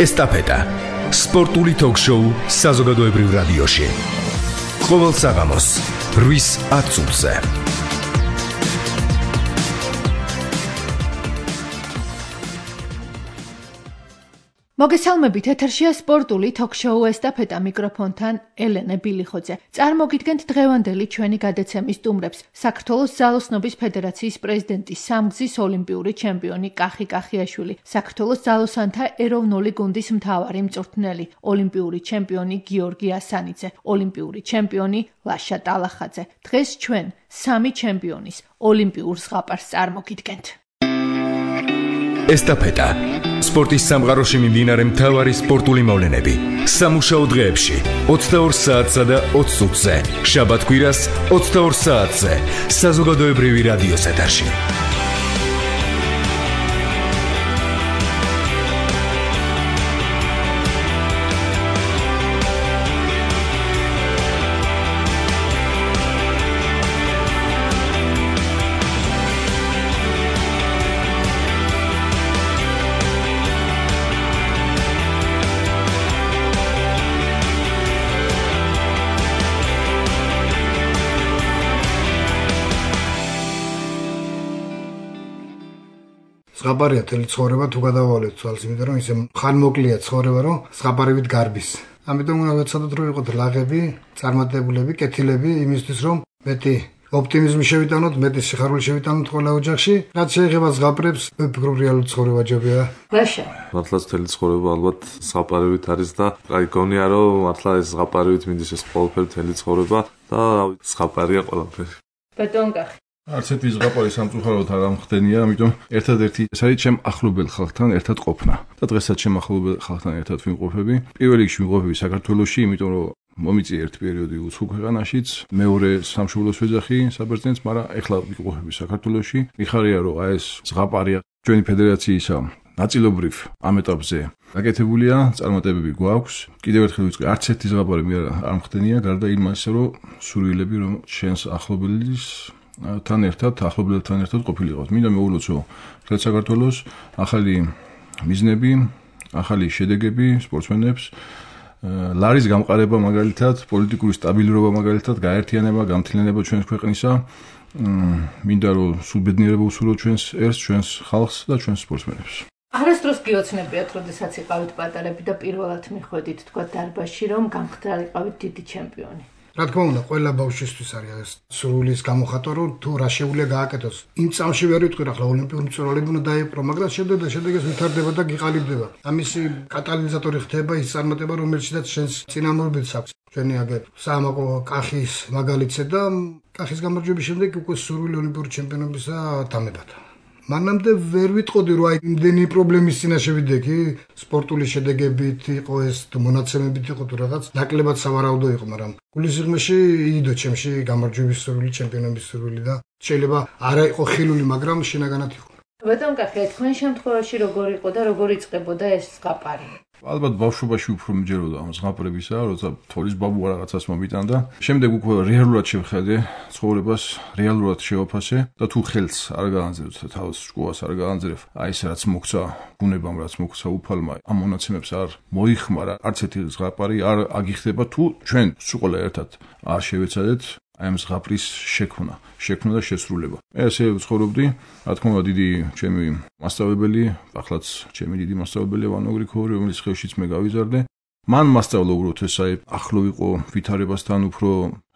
ესტაფეტა. სპორტული ток-შოუ საზოგადოებრივ რადიოში. ყოველ საღამოს 8:10 წუთზე. მოგესალმებით, ეთერშია სპორტული ток-შოუ ესტაფეტა, მიკროფონთან ელენე ბილიხოძე. წარმოგიდგენთ დღევანდელი ჩვენი გადაცემის სტუმრებს. საქართველოს ძალოსნობის ფედერაციის პრეზიდენტი, სამგზის ოლიმპიური ჩემპიონი კახი კახიაშვილი, საქართველოს ძალოსანთა ეროვნული გუნდის მთავარი მწვრთნელი, ოლიმპიური ჩემპიონი გიორგი ასანიძე, ოლიმპიური ჩემპიონი ლაშა ტალახაძე. დღეს ჩვენ სამი ჩემპიონის ოლიმპიურ ზღაპარს წარმოგიდგენთ. ესტაფეტა. სპორტის სამყაროში მიმდინარე მთავარი სპორტული მოვლენები. სამუშაო დღეებში 22 საათსა და 20 წუთზე. შაბათ-კვირას 22 საათზე. საზოგადოებრივი რადიოს ეთერში. ზღაპარია თელი ცხოვრება თუ გადავალეთ თვალს, იმიტომ რომ ისე ხანმოკლეა ცხოვრება, რომ ზღაპარივით გარბის. ამიტომ უნდა ვეცადოთ რომ ვიყოთ ლაღები, წარმატებულები, კეთილები იმისთვის რომ მეტი ოპტიმიზმი შევიტანოთ, მეტი სიხარული შევიტანოთ ყველა ოჯახში. რაც შეეხება ზღაპრებს, ვფიქრობ რეალური ცხოვრება ჯობია. ლაშა. მართლაც თელი ცხოვრება ალბათ ზღაპარივით არის და აი გონია რომ მართლა ეს ზღაპარივით მინდის ეს ყველაფერი თელი ცხოვრება და ზღაპარია ყველაფერი. ბატონ კახი. არც ერთი ზღაპარი სამწუხაროდ არ ამხდენია, ამიტომ ერთადერთი ეს არის ჩემ ახლობელ ხალხთან ერთად ყოფნა. და დღესაც ჩემ ახლობელ ხალხთან ერთად ვიმყოფები. პირველ რიგში ვიმყოფები საქართველოში, იმიტომ რომ მომიწია ერთი პერიოდი უცხო ქვეყანაშიც, მეორე სამშობლოს ვეძახი საბერძნეთს, მაგრამ ეხლა ვიმყოფები საქართველოში. მიხარია რომ აი ეს ზღაპარია ჩვენი ფედერაციისა ნაწილობრივ ამ ეტაპზე გაკეთებულია, წარმატებები გვაქვს. კიდევ ერთხელ ვიწყე, არც ერთი ზღაპარი მე არ ამხდენია, გარდა იმისა, რომ სურვილები რომ ჩვენს ახლობელის თან ახლობლებთან ერთად ყოფილიყავთ. მინდა მოვულოცო მთელ საქართველოს ახალი მიზნები, ახალი შედეგები სპორტსმენებს, ლარის გამყარება მაგალითად, პოლიტიკური სტაბილურობა მაგალითად, გაერთიანება, გამთლიანება ჩვენს ქვეყნისა. მინდა რომ სულ ბედნიერება უსურვოთ ჩვენს ერს, ჩვენს ხალხს და ჩვენს სპორტსმენებს. არასდროს გიოცნებიათ, როდესაც იყავით პატარები და პირველად მიხვედით თქვა დარბაზში, რომ გამხდარიყავით დიდი ჩემპიონი. რა თქმა უნდა, ყველა ბავშვისთვის არის ეს სურვილის გამოხატვა, რომ თუ რა შეუძლია გააკეთოს. იმ წამში ვერ ვიტყვი, ახლა ოლიმპიური მწვრთნელები უნდა დაიპყრო, მაგრამ შედეგს ვითარდება და გიყალიბდება. ამისი კატალიზატორი ხდება ის წარმატება, რომელშიც შენს წინამორბედს აქვს. ჩვენი აგერ საამაყო კახის მაგალითზე და კახის გამარჯვების შემდეგ უკვე სურვილი ოლიმპიური ჩემპიონობისა დამებადა. მანამდე ვერ ვიტყოდი რომ აი იმდენი პრობლემის წინაშე ვიდექი, სპორტული შედეგებით იყო ეს თუ მონაცემებით იყო თუ რაღაც ნაკლებად სავარაუდო იყო, მაგრამ გულისიღმეში იდო ჩემში გამარჯვების სურვილი, ჩემპიონობის სურვილი და შეიძლება არა იყო ხილული, მაგრამ შინაგანად იყო. ბატონ კახი, თქვენ შემთხვევაში როგორ იყო და როგორ იწყებოდა ეს ზღაპარი? ალბათ ბავშვობაში უფრო მიჯეროდა ამ ზღაპრებისა, როცა თოლის ბაბუა რაღაცას მომიტანდა. შემდეგ უკვე რეალურად შევხედე ცხოვრებას, რეალურად შევაფასე და თუ ხელს არ გაანძრევ და თავს შკوას არ გაანძრევ, აი ეს რაც მოგცა ბუნებამ, რაც მოგცა უფალმა, ამ მონაცემებს არ მოიხმარა, არც ერთი ზღაპარი არ აგიხდება თუ ჩვენ სულ ერთად არ შევეცადეთ აი ამ ზღაპრის შექმნა და შესრულება. მე ასე ვცხოვრობდი, რა თქმა უნდა, დიდი ჩემი მასწავლებელი, ახლაც ჩემი დიდი მასწავლებელი ვანო გრიგორი, რომელიც ხელშიც მე გავიზარდე. მან მასწავლა უბრალოდ ეს აი ახლო ვიყო ვითარებასთან, უფრო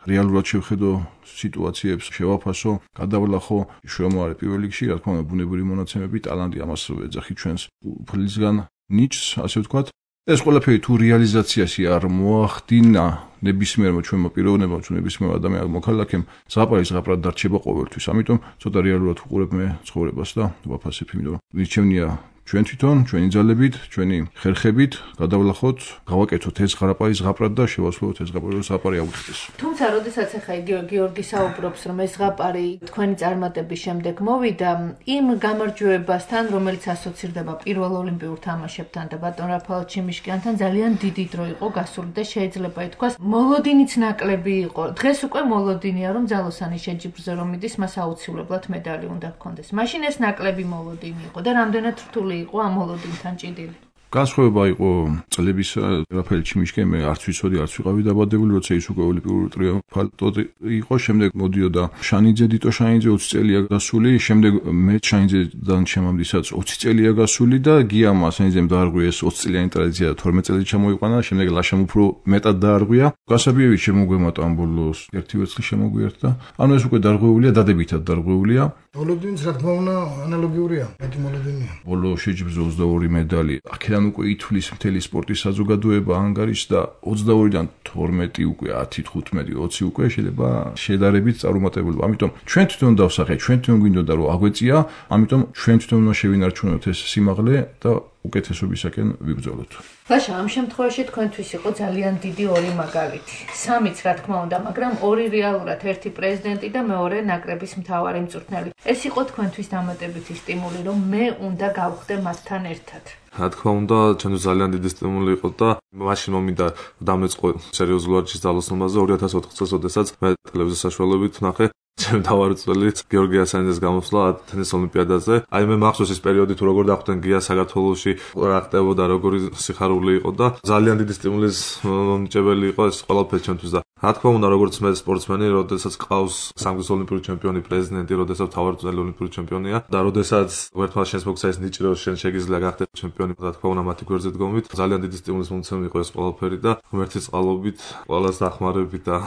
რეალურად შევხედო სიტუაციებს, შევაფასო, გადავლახო, შემოარე პირველ რიგში, რა თქმა უნდა, ბუნებრივი მონაცემები, ტალანტი, ამას ვეძახი ჩვენს უფლისგან ნიჭს, ასე ვთქვათ. ეს ყველაფერი თუ რეალიზაციაში არ მოახდინა ნებისმიერმა ჩვენმა პიროვნებამ, თუ ნებისმიერ ადამიანმა მოქალაქემ, ზღაპრად დარჩება ყოველთვის. ამიტომ ცოტა რეალურად ვუყურებ მე ცხოვრებას და ვაფასებ, იმიტომ რომ მირჩევნია ჩვენ თვითონ, ჩვენი ძალებით, ჩვენი ხერხებით გადავლახოთ, გავაკეთოთ ეს ზღაპრად და შევასრულოთ ეს ზღაპარი აუხდეს. თუმცა, როდესაც ახლა გიორგი საუბრობს, რომ ეს ზღაპარი თქვენი წარმატების შემდეგ მოვიდა, იმ გამარჯვებასთან, რომელიც ასოცირდება პირველ ოლიმპიურ თამაშებთან და ბატონ რაფაელ ჩიმიშკიანთან, ძალიან დიდი დრო იყო გასული და შეიძლება ითქვას, მოლოდინიც ნაკლები იყო. დღეს უკვე მოლოდინია, რომ ძალოსანი შეჯიბრზე რომ მიდის, მას აუცილებლად медали უნდა ჰქონდეს. მაშინ ეს ნაკლები მოლოდინი იყო და რამდენად რთული იყო ამ მოლოდინთან ჭიდილი. განსხვავება იყო წლების რაფაელ ჩიმიშკენ მე არც ვიცოდი, არც ვიყავი დაბადებული, როცა ის უკვე ოლიმპიური ტრიუმფალტი იყო, შემდეგ მოდიოდა შანიძე, დიტო შანიძე 20 წელია გასული, შემდეგ მე შანიძედან შემამდისაც 20 წელია გასული და გიამა შანიძემ დაარღვია ეს 20 წლიანი ტრადიცია და 12 წელი ჩამოიყვანა, შემდეგ ლაშამ უფრო მეტად დაარღვია. გასაბიევი შემოგვემატა ამ ბოლოს 1 ვერცხლი შემოგვიერთდა. ანუ ეს უკვე დარღვეულია, დადებითად დარღვეულია. მოლოდინის რა თქმა უნდა ანალოგიურია, მეტი მოლოდინია. ბოლო შეჯიბზე 22 медали. აქედან უკვე ითვლის მთელი სპორტის საზოგადოება ანგარიშს და 22-დან 12 უკვე 10, 15, 20 უკვე შეიძლება შედარებით წარუმატებელი. ამიტომ ჩვენ თვითონ დავსახეთ, ჩვენ თვითონ გვინდოდა რომ აგვეწია, ამიტომ ჩვენ თვითონ უნდა შევინარჩუნოთ ეს სიმაღლე და უკეთესობისაკენ ვიბრძოლოთ. ბაშა, ამ შემთხვევაში თქვენთვის იყო ძალიან დიდი ორი მაგალითი. სამიც რა თქმა უნდა, მაგრამ ორი რეალურად, ერთი პრეზიდენტი და მეორე ნაკრების მთავარი მწვრთნელი. ეს იყო თქვენთვის დამატებითი სტიმული, რომ მე უნდა გავხდე მასთან ერთად. რა თქმა უნდა, ჩვენთვის ძალიან დიდი სტიმული იყო და მაშინ მომინდა დამეწყო სერიოზულ ვარჯიშის ძალოსნობაზე 2004 წელს, როდესაც მე ტელევიზიის საშუალებით ვნახე ჩემ თავარწველი გიორგი ასანიძეს გამოსვლა ათენის ოლიმპიადაზე. აი მე მახსოვს ეს პერიოდი თუ როგორ დახვდნენ გია საქართველოში, რა ხდებოდა, როგორი სიხარული იყო და ძალიან დიდი სტიმულის მომნიჭებელი იყო ეს ყველაფერი ჩვენთვის და რა თქმა უნდა, როგორც მე სპორტსმენი, როდესაც ყავს სამგზის ოლიმპიური ჩემპიონი პრეზიდენტი, როდესაც თავარწველი ოლიმპიური ჩემპიონია და როდესაც ერთმანეთს შენს მოგცა ეს ნიჭი, რომ შენ შეგიძლია გახდე ჩემპიონი, რა თქმა უნდა, მათი გვერდზე დგომით, ძალიან დიდი სტიმულის მომცემი იყო ეს ყველაფერი და ღმერთის წყალობით, ყველას დახმარებით და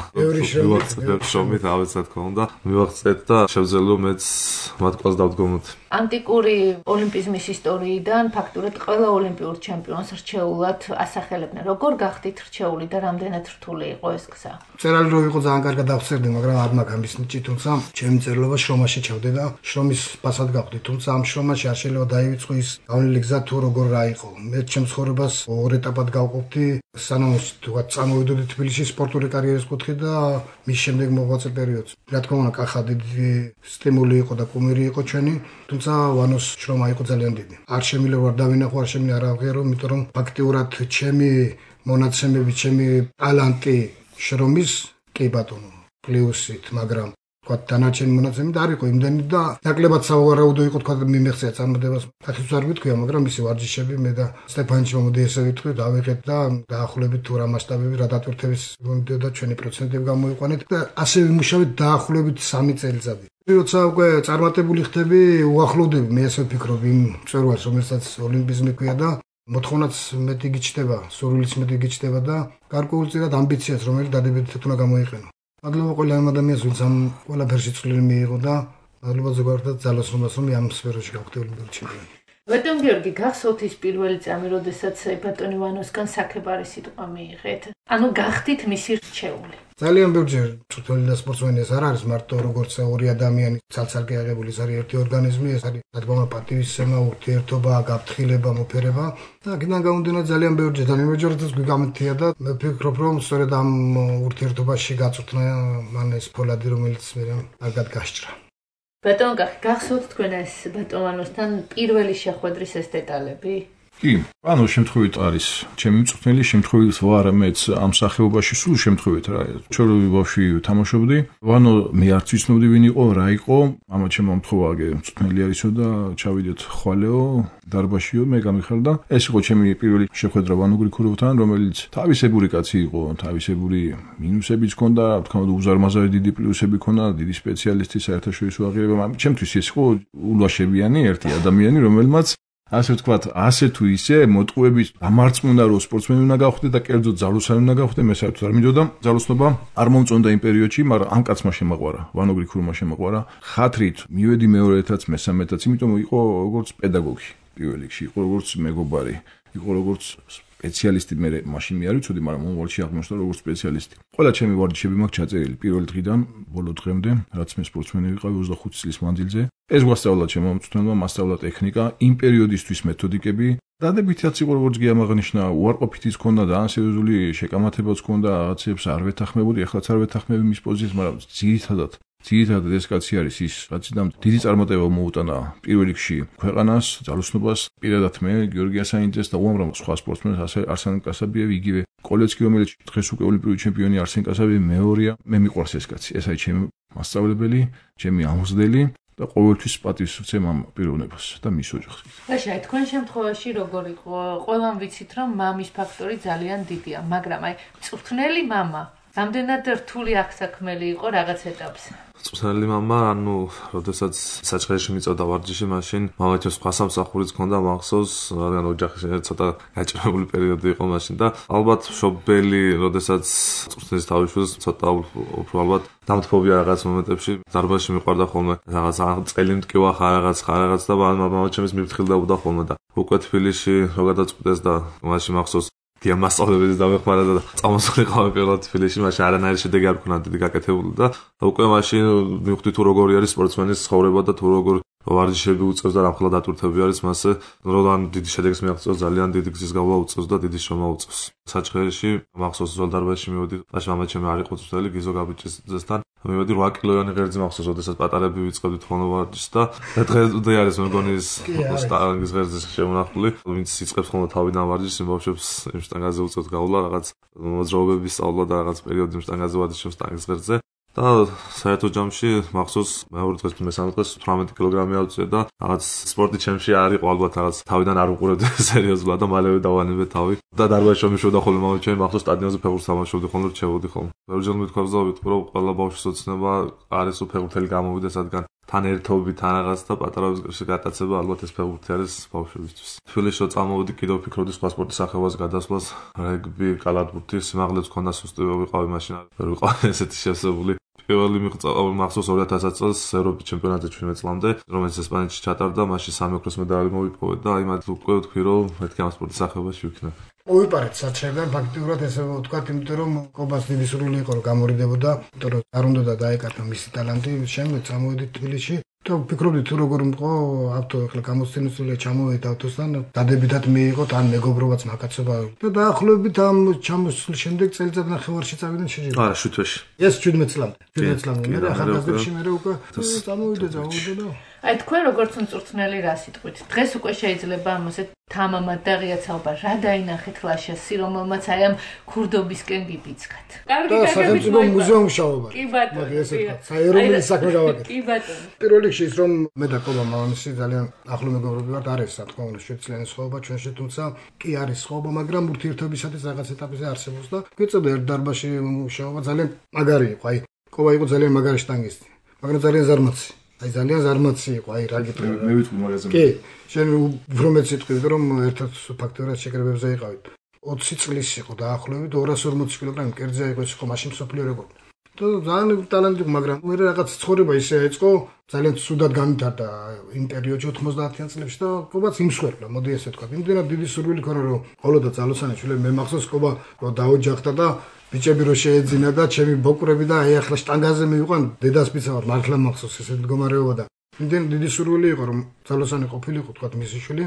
შრომით, ავეც რა თქმა უნდა მივაღწევთ და შევძელო მეც მათ ყველას დავდგომოთ. ანტიკური ოლიმპიზმის ისტორიიდან ფაქტურად ყველა ოლიმპიურ ჩემპიონს რჩეულად ასახელებდნენ. როგორ გახდით რჩეული და რამდენად რთული იყო ეს გზა? წერალი რო იყო ძალიან კარგად დავწერდი, მაგრამ არ მაქვს ამის ნიჭი, თუმცა ჩემი წერილობა შრომაში ჩავდე და შრომის ფასად გავხდი. თუმცა ამ შრომაში არ შეიძლება დაივიწყო ის გავლილი გზა თუ როგორ რა იყო. მე ჩემს ცხოვრებას ორ ეტაპად გავყოფდი, სანამ თქვა წამოვიდოდი თბილისში სპორტული კარიერის კუთხე და მის შემდეგ მოღვაწე პერიოდს. რა თქმა უნდა, კახა დიდი სტიმული იყო და კუმირი იყო ჩვენი, თუმცა ვანოს შრომა იყო ძალიან დიდი. არ შემიძლია ვარ დავინახო, არ შემიძლია არ ავღიარო, იმიტომ რომ ფაქტიურად ჩემი მონაცემები, ჩემი ტალანტი შრომის კი ბატონო პლუსით, მაგრამ თქვა დანარჩენი მონაცემები და არ იყო იმდენი და ნაკლებად სავარაუდო იყო თქვა მიმეხსია წარმოდებას. კაციც არ გითქვია, მაგრამ მისი ვარჯიშები მე და სტეფანჩი მომდი ესე ვიტყვი, დავიღეთ და დაახლოებით თუ რა მასშტაბები, რა დატვირთების მომდიოდა ჩვენი პროცენტები გამოიყვანეთ და ასე ვიმუშავეთ დაახლოებით 3 წელიწადი. როცა უკვე წარმატებული ხდები, უახლოვდები, მე ასე ვფიქრობ იმ მწვერვალს, რომელსაც ოლიმპიზმი ქვია და მოთხოვნაც მეტი გიჩნდება, სურვილიც მეტი გიჩნდება და გარკვეულწილად ამბიციას, რომელიც დადებითად უნდა გამოიყენო. მადლობა ყველა ამ ადამიანს, ვინც ამ ყველაფერში წვლილი მიიღო და მადლობა ზოგადად ძალოსნობას, რომ ამ სფეროში გავხდე ოლიმპიური ჩემპიონი. ბატონ გიორგი, გახსოვთ ის პირველი წამი, როდესაც ბატონი ვანოსგან საქებარი სიტყვა მიიღეთ? ანუ გახდით მისი რჩეული. ძალიან ბევრჯერ მწვრთნელი და სპორტსმენი ეს არ არის მარტო როგორც ორი ადამიანი ცალ-ცალკე აღებული, ეს არის ერთი ორგანიზმი, ეს არის რა თქმა უნდა პატივისცემა, ურთიერთობა, გაფრთხილება, მოფერება და აქედან გამომდინარე ძალიან ბევრჯერ და იმეჯერადაც გვიგამთია და მე ვფიქრობ რომ სწორედ ამ ურთიერთობაში გაწვრთნა მან ეს ფოლადი, რომელიც მე კარგად გასჭრა. ბატონ კახი, გახსოვთ თქვენ ეს ბატონ ვანოსთან პირველი შეხვედრის ეს დეტალები? კი, ანუ შემთხვევით არის ჩემი მწვრთნელი, შემთხვევით ვარ მეც ამ სახეობაში, სულ შემთხვევით რა. ჩვენ ბავშვი თამაშობდი, ვანო მე არც ვიცნობდი ვინ იყო, რა იყო, მამა ჩემო მომთხოვა აგე მწვრთნელი არისო და ჩავიდეთ ხვალეო, დარბაშიო, მე გამიხარდა. ეს იყო ჩემი პირველი შეხვედრა ვანო გრიქუროვთან, რომელიც თავისებური კაცი იყო, თავისებური მინუსებიც ჰქონდა, რა თქმა უნდა უზარმაზარი დიდი პლუსები ჰქონდა, დიდი სპეციალისტი საერთაშორისო აღიარება. ჩემთვის ეს იყო ულვაშებიანი ერთი ადამიანი, რომელმაც ასე ვთქვათ, ასე თუ ისე მოტყუებით ამარწმუნა რომ სპორტსმენი უნდა გავხდე და კერძოდ ძალოსანი უნდა გავხდე, მე საერთოდ არ მინდოდა ძალოსნობა, არ მომწონდა იმ პერიოდში, მაგრამ ამ კაცმა შემაყვარა, ვანო გრიქუროვმა შემაყვარა. ხათრით მივედი მეორეთაც, მესამედაც, იმიტომ იყო როგორც პედაგოგი პირველ რიგში, იყო როგორც მეგობარი, იყო როგორც სპეციალისტი, მე მაშინ მე არ ვიცოდი, მაგრამ მომავალში აღმოჩნდა როგორც სპეციალისტი. ყველა ჩემი ვარჯიშები მაქვს ჩაწერილი პირველ დღიდან ბოლო დღემდე, რაც მე სპორტსმენი ვიყავი 25 წლის მანძილზე. ეს გვასწავლა ჩემო მწვრთნელმა, მასწავლა ტექნიკა, იმ პერიოდისთვის მეთოდიკები. დადებითიც იყო როგორც გიამაღნიშნა, უარყოფითიც ჰქონდა და ან სერიოზული შეკამათებაც ჰქონდა, რაღაცებს არ ვეთანხმებოდი, ეხლაც არ ვეთანხმები მის პოზიციას, მაგრამ ძირითადად ეს კაცი არის ის, რაციდან დიდი წარმატება მოუტანა პირველ რიგში ქვეყანას, ძალოსნობას, პირადად მე, გიორგი ასანიძეს და უამრავ სხვა სპორტსმენს, ასე არსენ კასაბიევი, იგივე კოლეცკი, რომელიც დღეს უკვე ოლიმპიური ჩემპიონი არსენ კასაბიევი მეორეა. მე მიყვარს ეს კაცი, ეს არის ჩემი მასწავლებელი, ჩემი ამოსდელი. და ყოველთვის პატივს ვცემ ამ პიროვნებას და მის ოჯახს. ლაშა, თქვენ შემთხვევაში როგორ იყო? ყველამ ვიცით, რომ მამის ფაქტორი ძალიან დიდია, მაგრამ აი, მწვრთნელი მამა რამდენად რთული აღსაქმელი იყო რაღაც ეტაპზე? მწვრთნელი მამა, როდესაც საჩხერეში მიწოდა ვარჯიში, მაშინ მამაჩემს სხვა სამსახურიც ჰქონდა მახსოვს, რადგან ოჯახში ცოტა გაჭირებული პერიოდი იყო მაშინ და ალბათ მშობელი, როდესაც მწვრთნელის თავისუფლებას ცოტა უფრო ალბათ დამთფობია რაღაც მომენტებში, დარბაზში მიყვარდა ხოლმე რაღაც წელი მტკივა ხარ რაღაც და მამაჩემს მიფრთხილდებოდა ხოლმე და უკვე თბილისში რო გადაწყვიტეს და მაშინ მახსოვს მასწავლებელს დამეხმარა და წამოსულიყავი პირველად თბილისში, მაშინ არანაირი შედეგი არ მქონდა დიდი გაკეთებული და უკვე მაშინ მივხვდი თუ როგორი არის სპორტსმენის ცხოვრება და თუ როგორ ვარჯიშები უწევს და რამხელა დატვირთები არის მასე, რომ დიდი შედეგს მიაღწევს, ძალიან დიდი გზის გავლა უწევს და დიდი შრომა უწევს. საჩხერეში მახსოვს ზოლდარბაზში მივედი, მაშინ მამაჩემი არ იყო წვრთნელი, გიზო გაბიჭისძესთან მივედი 8 კილოიანი ღერძი მახსოვს, როდესაც პატარები ვიწყებდით ხოლმე ვარჯიშს და დღე არის მეგონი ის სტანგის ღერძი შემონახული, ვინც იწყებს ხოლმე თავიდან ვარჯიშს, იმბავშვებს იმ შტანგაზე უწევთ გავლა, რაღაც მოძრაობების სწავლა და რაღაც პერიოდი იმ შტანგაზე ვარჯიშობს სტანგის ღერძზე. და საერთო ჯამში მახსოვს მეორე დღეს თუ მესამე დღეს 18 კილოგრამი ავწია და რაღაც სპორტი ჩემში არ იყო ალბათ რაღაც თავიდან არ უყურებდი სერიოზულად და მალევე დავანებე თავი და დარბაზში მიშოვდა ხოლმე მამაჩემი მახსოვს სტადიონზე ფეხბურთს თამაშობდი ხოლმე რჩებოდი ხოლმე. ბევრჯერ მithქვავდით რომ ყველა ბავშვის ოცნება არის ფეხბურთელი გამოვიდეს რადგან თან ერთობი თან რაღაც და პატარავის გატაცება ალბათ ეს ფეხბურთი არის ბავშვებისთვის. თბილისში რო წამოვედი კიდევ ვფიქრობდი სხვა სპორტის სახეობას გადასვლას, რეგბი, კალათბურთი, სიმაღლეც მქონდა სუსტი ვიყავი მაშინ არ ვიყავი ესეთი შესებული. პირველი მახსოვს 2000 წელს ევროპის ჩემპიონატზე 17 წლამდე, რომელიც ესპანეთში ჩატარდა, მაშინ 3 ოქროს medali მოვიპოვე და აი მათ უკვე ვთქვი რომ მეთქი ამ სპორტის სახეობაში ვიქნებ. მოვიპარეთ საჩხერიდან ფაქტიურად ესე ვთქვათ, იმიტომ რომ კობას დიდი სურვილი იყო რომ გამორიდებოდა, იმიტომ რომ არ უნდა დაეკარგა მისი ტალანტი, შემდეგ წამოვედით თბილისში. და ვფიქრობდი თუ როგორ მყო ავტო ახლა გამოცდილებულია ჩამოვედი ავტოსთან, დადებითად მიიღოთ ან მეგობრობაც მაკაცობა და დაახლოებით ამ ჩამოსვლის შემდეგ წელიწად ნახევარში წავიდნენ შეჯიბრებაში. არა, 7 თვეში. ეს 17 წლამდე მე ახალგაზრდებში მე უკვე წამოვიდე და აი თქვენ როგორც მწვრთნელი რა სიტყვით? დღეს უკვე შეიძლება ამაზე თამამად და ღიაცაობა რა დაინახეთ ლაშას, რომელმაც აი ამ ქურდობისკენ გიბიძგათ. კარგი სახელმწიფო მუზეუმშაობა. კი ბატონო. საეროვნული საქმე გავაკეთე. კი ბატონო. პირველ რიგში ის რომ მე და კობა მამამისი ძალიან ახლო მეგობრები ვართ, არის რა თქმა უნდა შეცვლიანი სხვაობა ჩვენში, თუმცა კი არის სხვაობა, მაგრამ ურთიერთობისათვის რაღაც ეტაპზე არსებობს და გვიწევდა ერთ დარბაზში მუშაობა ძალიან მაგარი იყო. აი კობა იყო ძალიან მაგარი შტანგისტი, მაგრამ ძალიან ზარმაცი. აი ძალიან ზარმაცი იყო, აი რა გიტყვი. მე ვიტყვი მაგაზე. კი, შენ უფრო მეც ვიტყვი, რომ ერთად ფაქტობრივად შეკრებებზე იყავით. 20 წლის იყო დაახლოებით 240 კილოგრამი კერძია იყო ის იყო მაშინ სოფლიო რეკორდი. და ძალიან ტალანტი იყო, მაგრამ მე რაღაც ცხოვრება ისე ეწყო, ძალიან ცუდად განვითარდა იმ პერიოდში 90-იან წლებში და კობაც იმსხვერპლა, მოდი ესე ვთქვა. იმდენად დიდი სურვილი ქონა რომ ხოლო და ძალოსანი შვილები მე მახსოვს კობა რომ დაოჯახდა და ბიჭები რო შეეძინა და ჩემი ბოკრები და აი ახლა შტანგაზე მივიყვან დედას პიცა ვარ მართლა მახსოვს ესე მდგომარეობა და იმდენ დიდი სურვილი იყო რომ ძალოსანი ყოფილიყო თქვა მისი შვილი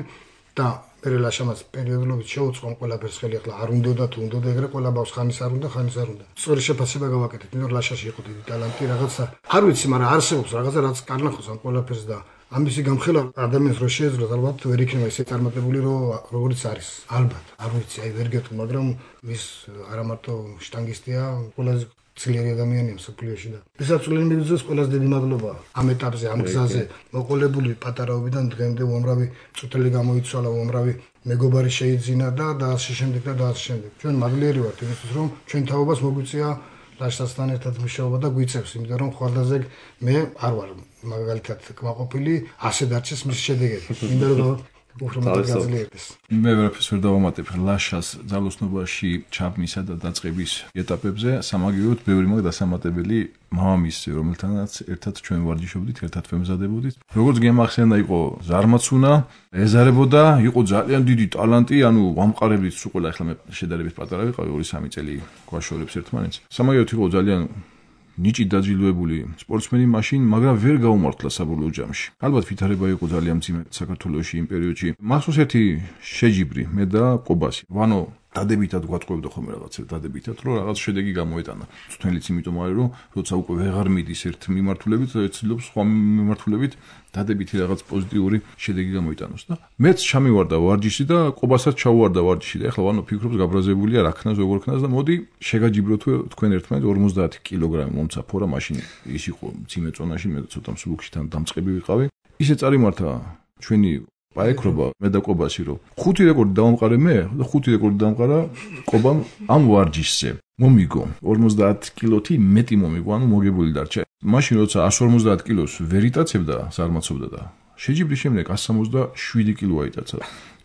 და მე ლაშამას პერიოდულობით შეუწყომ ყველაფერს ხელი ახლა არ უნდა თუ უნდა ეგრე ყველა ბავშვს ხანის არ უნდა სწორი შეფასება გავაკეთეთ იმიტომ რომ ლაშაში იყო დიდი ტალანტი რაღაცა არ ვიცი მაგრამ არსებობს რაღაცა რაც კარნახოს ამ ყველაფერს და ამისი გამხელა ადამიანს რო შეეძლოს ალბათ ვერ იქნება ისე წარმატებული როგორც არის ალბათ არ ვიცი აი ვერ გეტყვი მაგრამ ის არა მარტო შტანგისტია ყველაზე ძლიერი ადამიანია მსოფლიოში და ესაცვლელი მიგზოს ყველაზე დიდი მადლობა ამ ეტაპზე ამ გზაზე მოყოლებული პატარაობიდან დღემდე უამრავი წუთელი გამოიცვალა უამრავი მეგობარი შეიძინა და ასე შემდეგ ჩვენ მადლიერი ვართ იმისთვის რომ ჩვენ თაობას მოგვიწია ლაშასთან ერთად მუშაობა და გვიწევს იმიტომ რომ ხვალდაზე მე არ ვარ მაგალითად კმაყოფილი ასე დარჩეს მის შედეგები მინდა რომ მე ვერაფერს ვერ დავამატებ ლაშას ძალოსნობაში ჩაბმისა და დაწყების ეტაპებზე სამაგიეროდ ბევრი მაგ დასამატებელი მამამისი რომელთანაც ერთად ჩვენ ვარჯიშობდით ერთად ვემზადებოდით როგორც გემახსენა იყო ზარმაცუნა ეზარებოდა იყო ძალიან დიდი ტალანტი ანუ ვამყარებდით სულ ყველა ახლა მე შედარებით პატარა ვიყავი 2-3 წელი გვაშორებს ერთმანეთს სამაგიეროდ იყო ძალიან ნიჭი დაჯილდოებული სპორტსმენი მაშინ, მაგრამ ვერ გაუმართლა საბოლოო ჯამში. ალბათ ვითარება იყო ძალიან მძიმე საქართველოში იმ პერიოდში. მახსოვს ერთი შეჯიბრი მე და კობასი. ვანო დადებითად გვატყუებდა ხოლმე რაღაცებს დადებითად, რომ რაღაც შედეგი გამოეტანა. თვითონაც იმიტომ არის, რომ როცა უკვე ვეღარ მიდის ერთ მიმართულებით, ეცილობს სხვა მიმართულებით დადებითი რაღაც პოზიტიური შედეგი გამოიტანოს და მეც ჩამივარდა ვარჯიში და ყობასაც ჩაუვარდა ვარჯიში და ეხლა ვანო ფიქრობს გაბრაზებულია რა ქნას როგორ ქნას და მოდი შეგაჯიბროთ თქვენ ერთმანეთ 50 კილოგრამი მომცაფო რა მაშინ ის იყო მძიმე წონაში მე ცოტა მსუბუქში თან დამწყები ვიყავი ისე წარიმართა ჩვენი პაეკრობა მე და ყობაში რომ 5 რეკორდი დავამყარე მე და 5 რეკორდი დამყარა ყობამ ამ ვარჯიშზე მომიგო 50 კილოთი მეტი მომიგო ანუ მოგებული დარჩა მაშინ როცა 150 კილოს ვერ იტაცებდა ზარმაცობდა და შეჯიბრის შემდეგ 167 კილო აიტაცა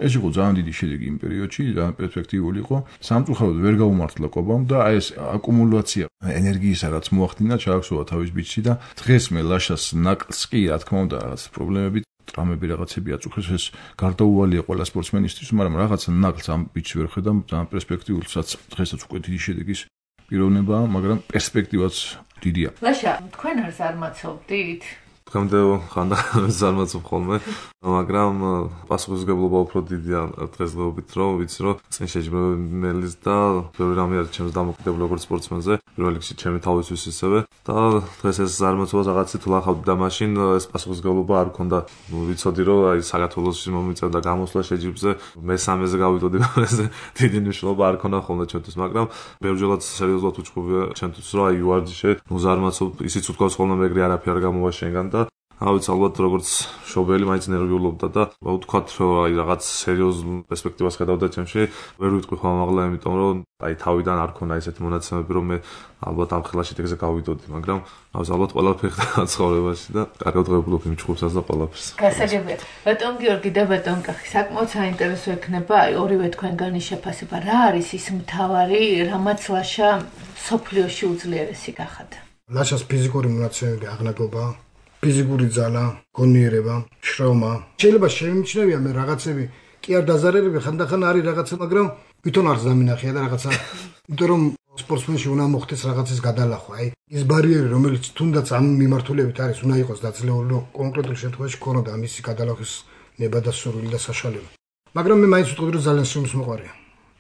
ეს იყო ძალიან დიდი შედეგი იმ პერიოდში ძალიან პერსპექტიული იყო სამწუხაროდ ვერ გაუმართლა ყობამ და აი ეს აკუმულაცია ენერგიისა რაც მოახდინა ჩააქსოვა თავის ბიჭში და დღეს მე ლაშას ნაკლს კი რა თქმა უნდა რაღაც პრობლემები ტრამები რაღაცები აწუხეს ეს გარდაუვალია ყველა სპორტსმენისთვის მაგრამ რაღაც ნაკლს ამ ბიჭს ვერ ხედავ ძალიან პერსპექტიულსაც დღესაც უკვე დიდი შედეგის პიროვნებაა მაგრამ პერსპექტივაც დიდია ლაშა თქვენ არ ზარმაცობდით დღემდე ხანდახან ზარმაცობ ხოლმე, მაგრამ პასუხისმგებლობა უფრო დიდია დღესდღეობით, რომ ვიცი, რომ წინ შეჯიბრებელიც და ბევრი რამე არის ჩემს დამოკიდებული როგორც სპორტსმენზე, პირველ რიგში ჩემი თავისთვის ისევე და დღეს ეს ზარმაცობა რაღაცით ვლახავდი და მაშინ ეს პასუხისმგებლობა არ მქონდა. ვიცოდი, რომ აი საქართველოში მომიწევდა გამოსვლა შეჯიბრზე, მესამეზე გავიდოდი, ეს დიდი მნიშვნელობა არ ქონდა ხოლმე ჩემთვის, მაგრამ ბევრჯერად სერიოზულად უჩხუბია ჩემთვის, რომ აი ვარჯიშე, ზარმაცობ, ისიც უთქვას ხოლმე მეგრე არაფერი არ გამოვაშენგან და ავიც ალბათ როგორც შობელი მაინც ნერვიულობდა და ვთქვათ რომ აი რაღაც სერიოზულ პერსპექტივას ხედავდა ჩემში ვერ ვიტყვი ხომ ამაღლა იმიტომ რომ აი თავიდან არ ქონა ესეთი მონაცემები რომ მე ალბათ ამ ხელაში ეგზე გავიდოდი მაგრამ ავიც ალბათ ყველაფერი ხდა ცხოვრებაში და კარგად ღებულობ იმ ჩხუბსაც და ყველაფერს გასაგებია ბატონ გიორგი და ბატონ კახი საკმაოდ საინტერესო ექნება აი ორივე თქვენგანი შეფასება რა არის ის მთავარი რამაც ლაშა სოფლიოში უძლიერესი გახადა ლაშას ფიზიკური მონაცემები აღნაგობა ფიზიკური ძალა, გონიერება, შრომა. შეიძლება შემიჩნევია მე რაღაცები კი არ დაზარალები ხანდახან არის რაღაცა, მაგრამ ვითომ არ ზამინახია და რაღაცა, იმიტომ რომ სპორტსმენში უნდა მოხდეს რაღაცის გადალახვა. აი, ის ბარიერი, რომელიც თუნდაც ამ მიმართულებით არის, უნდა იყოს დაძლეული, რომ კონკრეტულ შემთხვევაში ქონოდა ამისი გადალახვის ნება და სურვილი და საშუალება. მაგრამ მე მაინც ვიტყოდი, რომ ძალიან სიმსმოყვარია.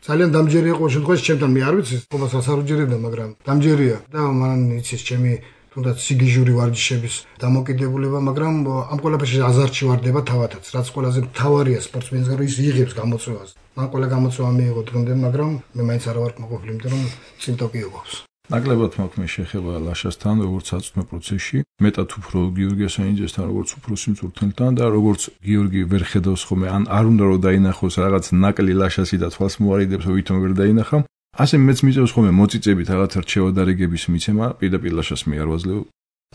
ძალიან დამჯერია ყოველ შემთხვევაში ჩემთან მე არ ვიცი, ყოველას არ უჯერებდა, მაგრამ დამჯერია და მან იცის ჩემი თუნდაც სიგიჟური ვარჯიშების დამოკიდებულება, მაგრამ ამ ყველაფერში აზარტში ვარდება თავადაც, რაც ყველაზე მთავარია სპორტსმენს, რომ ის იღებს გამოწვევას. მან ყველა გამოწვევა მიიღო დღემდე, მაგრამ მე მაინც არ ვარ კმაყოფილი, იმიტომ რომ წინ ტოკიო გვაქვს. ნაკლებად მაქვს მე შეხება ლაშასთან, როგორც აწმე პროცესში, მეტად უფრო გიორგი ასანიძესთან, როგორც უფრო სიმწურთელთან და როგორც გიორგი ვერ ხედავს ხოლმე, არ უნდა რომ დაინახოს რაღაც ნაკლი ლაშასი და თვალს მოარიდებს, ვითომ ვერ დაინახა. ასე მეც მიწევს ხოლმე მოწიწებით რაღაც რჩევა და რეგების მიცემა, პირდაპირ ლაშას მე არ ვაძლევ.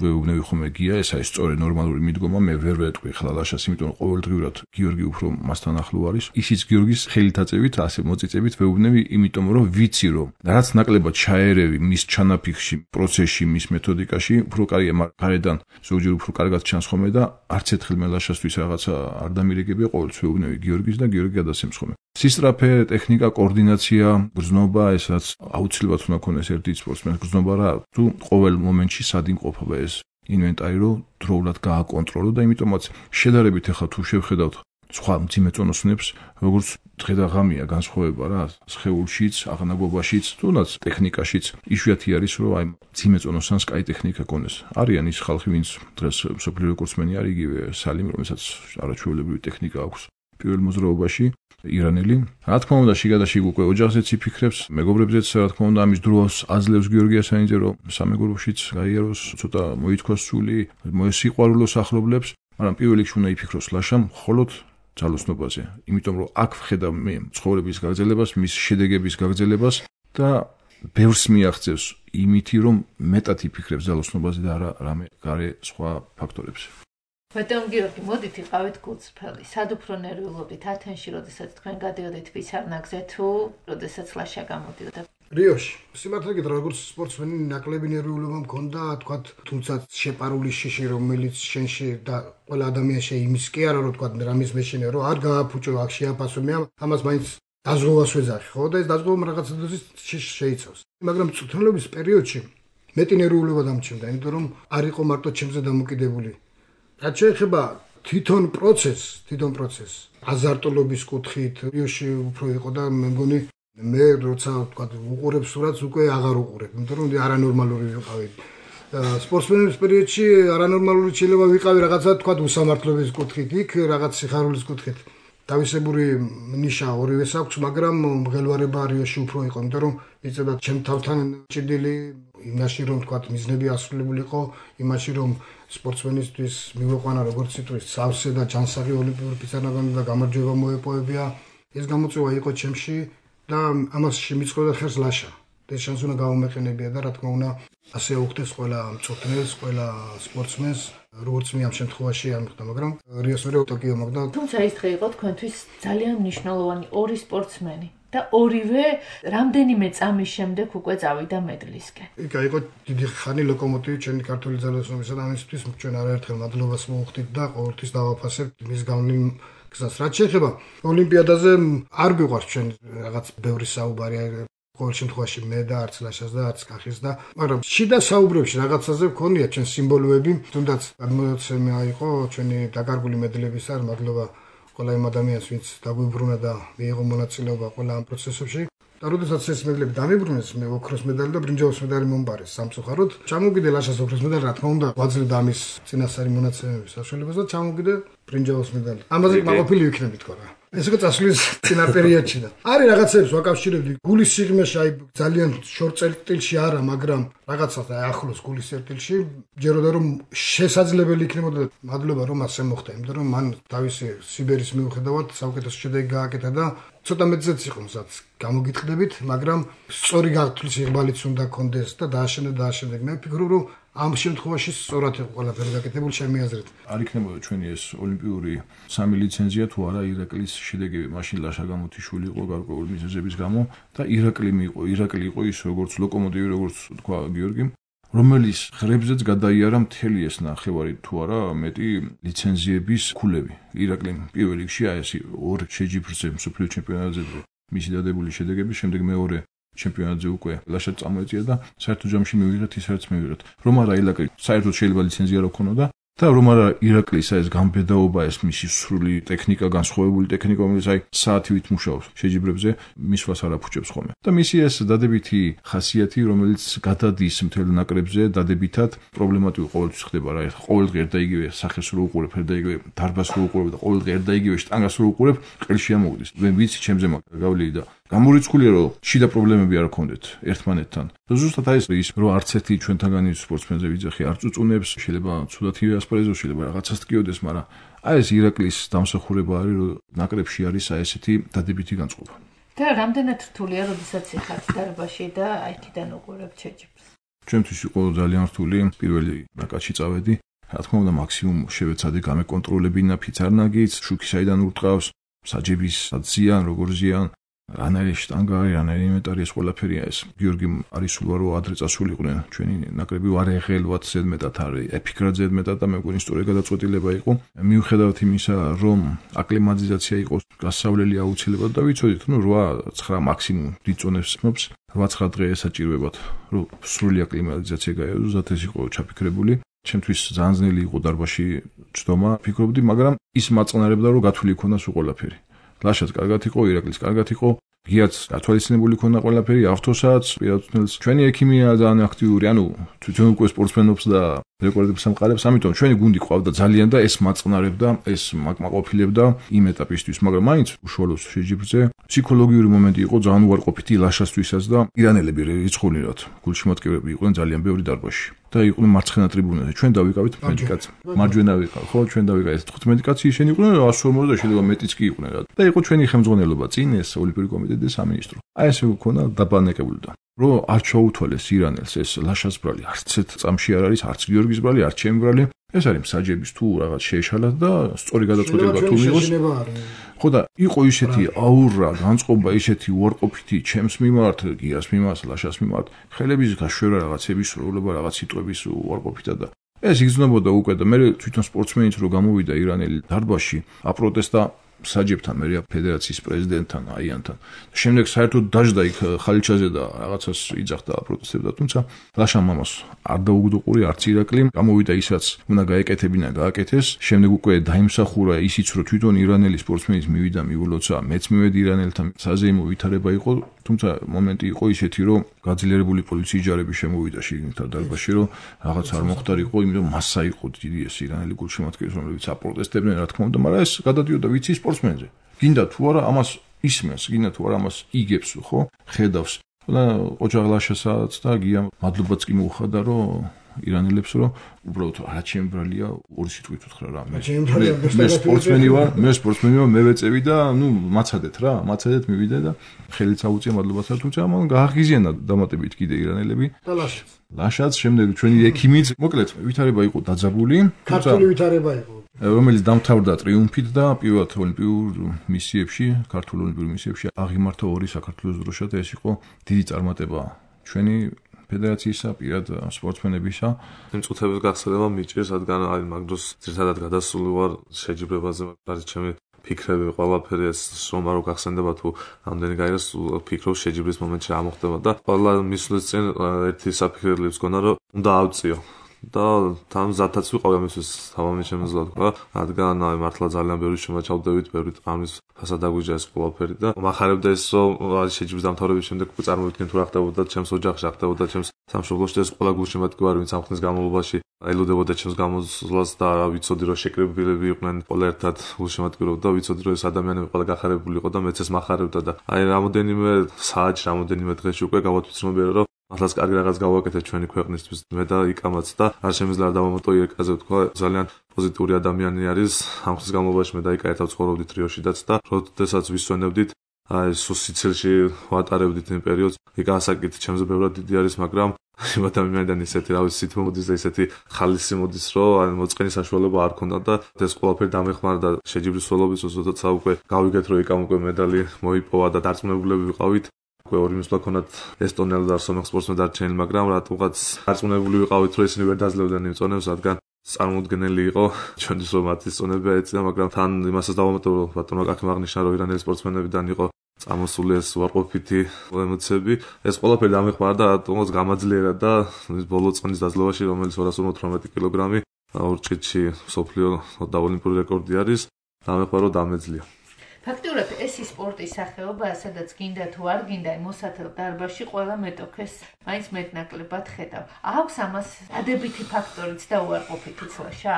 ვეუბნები ხოლმე გია, ეს არის სწორი ნორმალური მიდგომა, მე ვერ ვეტყვი ხლა ლაშას, იმიტომ რომ ყოველდღიურად გიორგი უფრო მასთან ახლო არის. ისიც გიორგის ხელითაწევით, ასე მოწიწებით ვეუბნები, იმიტომ რომ ვიცი რომ რაც ნაკლებად ჩაერევი მის ჩანაფიქში, პროცესში, მის მეთოდიკაში, უფრო კარგია, მაგრამ გარედან ზოგჯერ უფრო კარგად ჩანს ხოლმე და არც ერთხელ მე ლაშასთვის რაღაცა არ დამირეკებია, ყოველთვის ვეუბნები გიორგის და გიორგი გადასცემს ხოლმე. სისტრაფე, ტექნიკა, კოორდინაცია, გრძნობა, ესაც აუცილებლად უნდა ქონდეს ერთი სპორტსმენის გრძნობა რა, თუ ყოველ მომენტში სად იმყოფება ეს ინვენტარი, რომ დროულად გააკონტროლო და იმიტომაც შედარებით ახლა თუ შევხედავთ სხვა მძიმე წონოსნებს, როგორც დღე და ღამეა განსხვავება რა, სხეულშიც, აღნაგობაშიც, თუნდაც ტექნიკაშიც, იშვიათი არის, რომ აი მძიმე წონოსანს კაი ტექნიკა ქონდეს. არიან ის ხალხი, ვინც დღეს მსოფლიო რეკორდსმენი არის, იგივე სალიმ, რომელსაც არაჩვეულებრივი ტექნიკა აქვს პირველ მოძრაობაში. ირანელი. რა თქმა უნდა, შიგადაშიგ უკვე ოჯახზეც იფიქრებს, მეგობრებზეც, რა თქმა უნდა, ამის დროს აძლევს გიორგი ასანიძე, რომ სამეგობროშიც გაიაროს, ცოტა მოითქვას სული, მოესიყვარულოს ახლობლებს, მაგრამ პირველ რიგში უნდა იფიქროს ლაშამ მხოლოდ ძალოსნობაზე. იმიტომ რომ აქ ვხედავ მე ცხოვრების გაგრძელებას, მის შედეგების გაგრძელებას და ბევრს მიაღწევს იმითი, რომ მეტად იფიქრებს ძალოსნობაზე და არა რამე გარე სხვა ფაქტორებზე. ბატონ გიორგი, მოდით იყავით გულწრფელი. სად უფრო ნერვიულობდით ათენში, როდესაც თქვენ გადიოდით ფიცარნაგზე თუ როდესაც ლაშა გამოდიოდა? რიოში. სიმართლე გითხრა, როგორც სპორტსმენი ნაკლები ნერვიულობა მქონდა, თქვათ, თუმცა შეპარული შიში, რომელიც შენში და ყველა ადამიანში იმის კი არა, რომ თქვათ, რამის მეშინე, რომ არ გააფუჭო, აქ შეაფასო, მე ამას მაინც დაზღვევას ვეძახი, ხო? და ეს დაზღვევა რაღაცა დოზის შიში შეიცავს. მაგრამ წვრთნელობის პერიოდში მეტი ნერვიულობა დამჩნდა, იმიტომ რომ არ იყო მარტო ჩემზე დამოკიდებული. რაც შეეხება თვითონ პროცესს, აზარტოლობის კუთხით, რიოში უფრო იყო და მე მგონი მე როცა თქვა უყურებ სურათს უკვე აღარ უყურებ, იმიტომ რომ არანორმალური ვიყავი. სპორტსმენების პერიოდში არანორმალური შეიძლება ვიყავი რაღაცა თქვა უსამართლობის კუთხით, იქ რაღაც სიხარულის კუთხით. დავისებური ნიშა ორივეს აქვს, მაგრამ მღელვარება რიოში უფრო იყო, იმიტომ რომ იწევდა ჩემ თავთან ჭიდილი იმაში რომ თქვა მიზნები ასრულებული იყო, იმაში რომ სპორტსმენისთვის მივეყვანა როგორც სიტყვის სავსე და ჯანსაღი ოლიმპიური ფიცარნაგანი და გამარჯვება მოეპოვებია. ეს გამოწვევა იყო ჩემში და ამას შემიწყობდა ხერს ლაშა. ეს შანსი უნდა გავუმეყენებია და რა თქმა უნდა ასე უხდეს ყველა მწვრთნელს, ყველა სპორტსმენს, როგორც მე ამ შემთხვევაში ამხდა, მაგრამ რიოს მეორე ტოკიო მაგდა. თუმცა ეს დღე იყო თქვენთვის ძალიან მნიშვნელოვანი ორი სპორტსმენი და ორივე რამდენიმე წამის შემდეგ უკვე წავიდა მედლისკენ. იქ იყო დიდი ხანი ლოკომოტივი ჩვენი ქართული ძალოსნობისა და ამისთვის ჩვენ არაერთხელ მადლობას მოვუხდით და ყოველთვის დავაფასებთ მის გავლენ გზას. რაც შეეხება ოლიმპიადაზე არ გვიყვარს ჩვენ რაღაც ბევრი საუბარი ყოველ შემთხვევაში მე და არც ლაშას და არც კახის და მაგრამ შიდა საუბრებში რაღაცაზე ვქონია ჩვენ სიმბოლოები თუნდაც გამოცემა იყო ჩვენი დაკარგული მედლების არ მადლობა ყველა იმ ადამიანს ვინც დაგვიბრუნა და მიიღო მონაწილეობა ყველა ამ პროცესებში და როდესაც ეს მედლები დამიბრუნეს მე ოქროს მედალი და ბრინჯაოს მედალი მომბარეს სამწუხაროდ ჩამოვიდე ლაშას ოქროს მედალი რა თქმა უნდა გვაძლევდა ამის წინასწარი მონაცემების საშუალებას და ჩამოვიდე ბრინჯაოს მედალი ამაზე მაყოფილი ვიქნები თქო რა ეს უკვე წასვლის წინა პერიოდში და არის რაღაცებს ვაკავშირებდი გულის სიღრმეში აი ძალიან შორტ წერტილში არა მაგრამ რაღაცას აი ახლოს გულის წერტილში ჯეროდა რომ შესაძლებელი იქნებოდა მადლობა რომ ასე მოხდა იმიტომ რომ მან თავისი სიბერის მიუხედავად საუკეთესო შედეგი გააკეთა და ცოტა მეცეც იყო მზად გამოგიტყდებით მაგრამ სწორი გათვლის იღბალიც უნდა კონდეს და დააშენდა მე ვფიქრობ რომ ამ შემთხვევაში სწორად იყო ყველაფერი გაკეთებული ჩემი აზრით. არ იქნებოდა ჩვენი ეს ოლიმპიური სამი ლიცენზია თუ არა ირაკლის შედეგები მაშინ ლაშა გამოთიშვილი იყო გარკვეული მიზეზების გამო და ირაკლი იყო ის როგორც ლოკომოტივი როგორც თქვა გიორგიმ რომელიც ხრებზეც გადაიარა მთელი ეს ნახევარი თუ არა მეტი ლიცენზიების ქულები. ირაკლიმ პირველ რიგში აი ეს ორ შეჯიბრზე მსოფლიო ჩემპიონატზე მისი დადებული შედეგები შემდეგ მეორე ჩემპიონატზე უკვე ლაშა წამოეწია და საერთო ჯამში მივიღეთ ისაც მივიღეთ. რომ არა ირაკლი საერთოდ შეიძლება ლიცენზია რა ქონოდა და რომ არა ირაკლის ეს გამბედაობა ეს მისი სრული ტექნიკა განსხვავებული ტექნიკა რომელიც აი საათივით მუშაობს შეჯიბრებზე მისვლას არ აფუჭებს ხოლმე. და მისი ეს დადებითი ხასიათი რომელიც გადადის მთელ ნაკრებზე დადებითად პრობლემატური ყოველთვის ხდება რა ყოველდღე ერთ და იგივე სახეს რო უყურებ ერთ და იგივე დარბას რო უყურებ და ყოველდღე ერთ და იგივე შტანგას რო უყურებ ყელში ამოვიდეს. მე ვიცი ჩემზე გავლილი და გამორიცხულია რომ შიდა პრობლემები არ გქონდეთ ერთმანეთთან. და ზუსტად აი ის რომ არც ერთი ჩვენთაგანი სპორტსმენზე ვიძახი არ წუწუნებს, შეიძლება ცუდათივე ასპარეზოს, შეიძლება რაღაცას ტკიოდეს, მაგრამ აი ეს ირაკლის დამსახურება არის რომ ნაკრებში არის აი ესეთი დადებითი განწყობა. და რამდენად რთულია, როდესაც იხართ დარბაში და აი თიდან უყურებთ შეჯიბრს. ჩვენთვის იყო ძალიან რთული პირველი ნაკადში წავედი. რა თქმა უნდა მაქსიმუმ შევეცადე გამეკონტროლებინა ფიცარნაგიც, შუქი საიდან ურტყავს, საჯების ზიან, როგორ ზიან რანაირი შტანგა არის, რანაირი ინვენტარი ეს ყველაფერია ეს. გიორგიმ არის სულ რომ ადრე წასულიყვნენ ჩვენი ნაკრები ვარეღელვათ ზედმეტად არის, ეფიქრად ზედმეტად და მე მგონი სწორი გადაწყვეტილება იყო. მიუხედავად იმისა, რომ აკლიმატიზაცია იყოს გასავლელი აუცილებლად და ვიცოდით, ნუ 8-9 მაქსიმუმ დიდ წონებს ხმობს, 8-9 დღე ესაჭიროებათ, რომ სრული აკლიმატიზაცია გაიაროს, ზათ ეს იყო ჩაფიქრებული. ჩემთვის ძალიან ძნელი იყო დარბაში ჩდომა, ფიქრობდი, მაგრამ ის მაწყნარებდა რომ გათვლილი იქონდა სულ ყველაფერი. ლაშაც კარგად იყო, ირაკლის კარგად იყო, გიაც გათვალისწინებული ქონდა ყველაფერი, ავთოსაც, პირადությունელს. ჩვენი ექიმია ძალიან აქტიური, ანუ თვითონ უკვე სპორტსმენობს და რეკორდებს ამყარებს, ამიტომ ჩვენი გუნდი ყავდა ძალიან და ეს მაწყნარებდა, ეს მაკმაყოფილებდა იმ ეტაპისთვის, მაგრამ მაინც უშუალოდ შეჯიბრზე ფსიქოლოგიური მომენტი იყო ძალიან უარყოფითი ლაშასთვისაც და ირანელები რიცხულნად გულშემატკივრები იყვნენ ძალიან ბევრი დარბაში. და იყვნენ მარცხენა ტრიბუნაზე. ჩვენ დავიკავით 15 კაცი. მარჯვენა ვიყავ, ხო, ჩვენ დავიკავით 15 კაცი, ისინი იყვნენ 140 და შეიძლება მეტიც კი იყვნენ რა. და იყო ჩვენი ხელმძღვანელობა წინ ეს ოლიმპიური კომიტეტი და სამინისტრო. აი ესე ქონა დაბანაკებული და რომ არ ჩაუთვალეს ირანელს ეს ლაშას ბრალი, არც ერთ წამში არ არის, არც გიორგის ბრალი, არც ჩემი ბრალი. ეს არის მსაჯების თუ რაღაც შეეშალათ და სწორი გადაწყვეტილება თუ მიიღოს. ხო და იყო ისეთი აურა, განწყობა, ისეთი უარყოფითი ჩემს მიმართ, გიას მიმართ, ლაშას მიმართ, ხელების გაშვერა რაღაცების სრულობა, რაღაც სიტყვების უარყოფითად და ეს იგრძნობოდა უკვე და მე თვითონ სპორტსმენიც რო გამოვიდა ირანელი დარბაში, აპროტესტა საჯებთან, მე ფედერაციის პრეზიდენტთან, აიანთან. შემდეგ საერთოდ დაждდა იქ ხალიჩაზე და რაღაცას იძახდა, აპროტესტებდა, თუმცა ლაშამ მამას არ დაუგდო ყური, არც ირაკლიმ, გამოვიდა ისაც უნდა გაეკეთებინა, გააკეთეს. შემდეგ უკვე დაიმსახურა ისიც, რომ თვითონ ირანელი სპორტსმენის მივიდა, მიულოცა, მეც მივედი ირანელთან, საზეიმო ვითარება იყო, თუმცა მომენტი იყო ისეთი, რომ გაძლიერებული პოლიციის ჯარები შემოვიდა შიგნით დარბაზში, რომ რაღაც არ მოხდარიყო, იმიტომ მასა იყო დიდი ეს ირანელი გულშემატკივრის, რომლებიც აპროტესტებდნენ, რა თქმა უნდა, მაგრამ ეს გადადიოდა ვიცი სპორტსმენზე. გინდა თუ არა ამას ისმენს, გინდა თუ არა ამას იგებს, ხო? ხედავს. და ოჯაღლაშასაც და გია მადლობაც კი მოუხადა, რომ ირანელებს რომ უბრალოდ რა ჩემი ბრალია ორი სიტყვით უთხრა რა მე სპორტსმენი ვარ მე ვეწევი და ნუ მაცადეთ მივიდე და ხელით აუწია მადლობაც არ თუმცა ამან გააღიზიანა დამატებით კიდე ირანელები და ლაშაც შემდეგ ჩვენი ექიმიც მოკლედ ვითარება იყო დაძაბული ქართული ვითარება იყო რომელიც დამთავრდა ტრიუმფით და პირველად ოლიმპიურ მისიებში ქართულ ოლიმპიურ მისიებში აღიმართა ორი საქართველოს დროშა და ეს იყო დიდი წარმატება ჩვენი ფედერაციისა, პირად სპორტსმენებისა. იმ წუთების გახსენება მიჭირს, რადგან აი მაგ დროს ძირითადად გადასული ვარ შეჯიბრებაზე, არის ჩემი ფიქრები, ყველაფერი ეს რომ არ გახსენდება თუ ამდენი გაიგოს ფიქრობ შეჯიბრის მომენტში რა მოხდება და ყველა მისვლის წინ ერთი საფიქრებელიც გქონდა, რომ უნდა ავწიო. და თან ზათაც ვიყავ ამისთვის თავამი შემიძლია თქვა, რადგან აი მართლა ძალიან ბევრი შემაჩავდებით, ბევრი ტრამვის ფასად დაგვიჯდა ეს ყველაფერი და მახარებდა ეს რომ არის შეჯიბრის დამთავრების შემდეგ წარმოვიდგენ თუ რა ხდებოდა ჩემს ოჯახში, რა ხდებოდა ჩემს სამშობლოში ეს ყველა გულშემატკივარი ვინც ამ ხნის განმავლობაში ელოდებოდა ჩემს გამოსვლას და რა ვიცოდი რომ შეკრებილები იყვნენ ყველა ერთად გულშემატკივრობდა და ვიცოდი რომ ეს ადამიანები ყველა გახარებული იყო და მეც ეს მახარებდა და აი რამოდენიმე საათში, რამოდენიმე დღეში უკვე გავათვითცნობიერე რომ მართლაც კარგი რაღაც გავაკეთეთ ჩვენი ქვეყნისთვის მე და იკამაც და არ შემიძლია არ დავამატო ირკაზე ვთქვა ძალიან პოზიტიური ადამიანი არის ამ ხნის განმავლობაში მე და იკა ერთად ცხოვრობდით რიოშიდაც და როდესაც ვისვენებდით აი სიცილში ვატარებდით იმ პერიოდს იკა ასაკით ჩემზე ბევრად დიდი არის მაგრამ იმ ადამიანიდან ისეთი რა ვიცი თითო მოდის და ისეთი ხალისი მოდის რომ აი მოწყენის საშუალება არ ქონდა და ეს ყველაფერი დამეხმარდა შეჯიბრის სოლობის როდესაც უკვე გავიგეთ რომ იკამ უკვე მედალი მოიპოვა და დარწმუნებულები ვიყავით ორი მისვლა ქონათ ესტონელი და სომეხ სპორტსმენი დარჩენილი, მაგრამ რატომღაც დარწმუნებული ვიყავით, რომ ისინი ვერ დაძლებდნენ იმ წონებს, რადგან წარმოუდგენელი იყო ჩვენთვის რომ მათი წონები ეწია, მაგრამ თან იმასაც დავამატო, რომ ბატონო კაკი აღნიშნა, რომ ირანელი სპორტსმენებიდან იყო წამოსული ეს უარყოფითი ემოციები. ეს ყველაფერი დამეხმარა და რატომღაც გამაძლიერა და ბოლო წონის დაძლევაში, რომელიც 218 კილოგრამი ორჭიდში მსოფლიო და ოლიმპიური რეკორდი არის, დამეხმარა რომ დამეძლია. ფაქტობრივად ეს სპორტის სახეობაა, სადაც გინდა თუ არ გინდა, მოსათელ დარბაზში ყველა მეტოქეს მაინც მეტნაკლებად ხედავ. აქვს ამას ადებითი ფაქტორიც და უარყოფითიც ლაშა?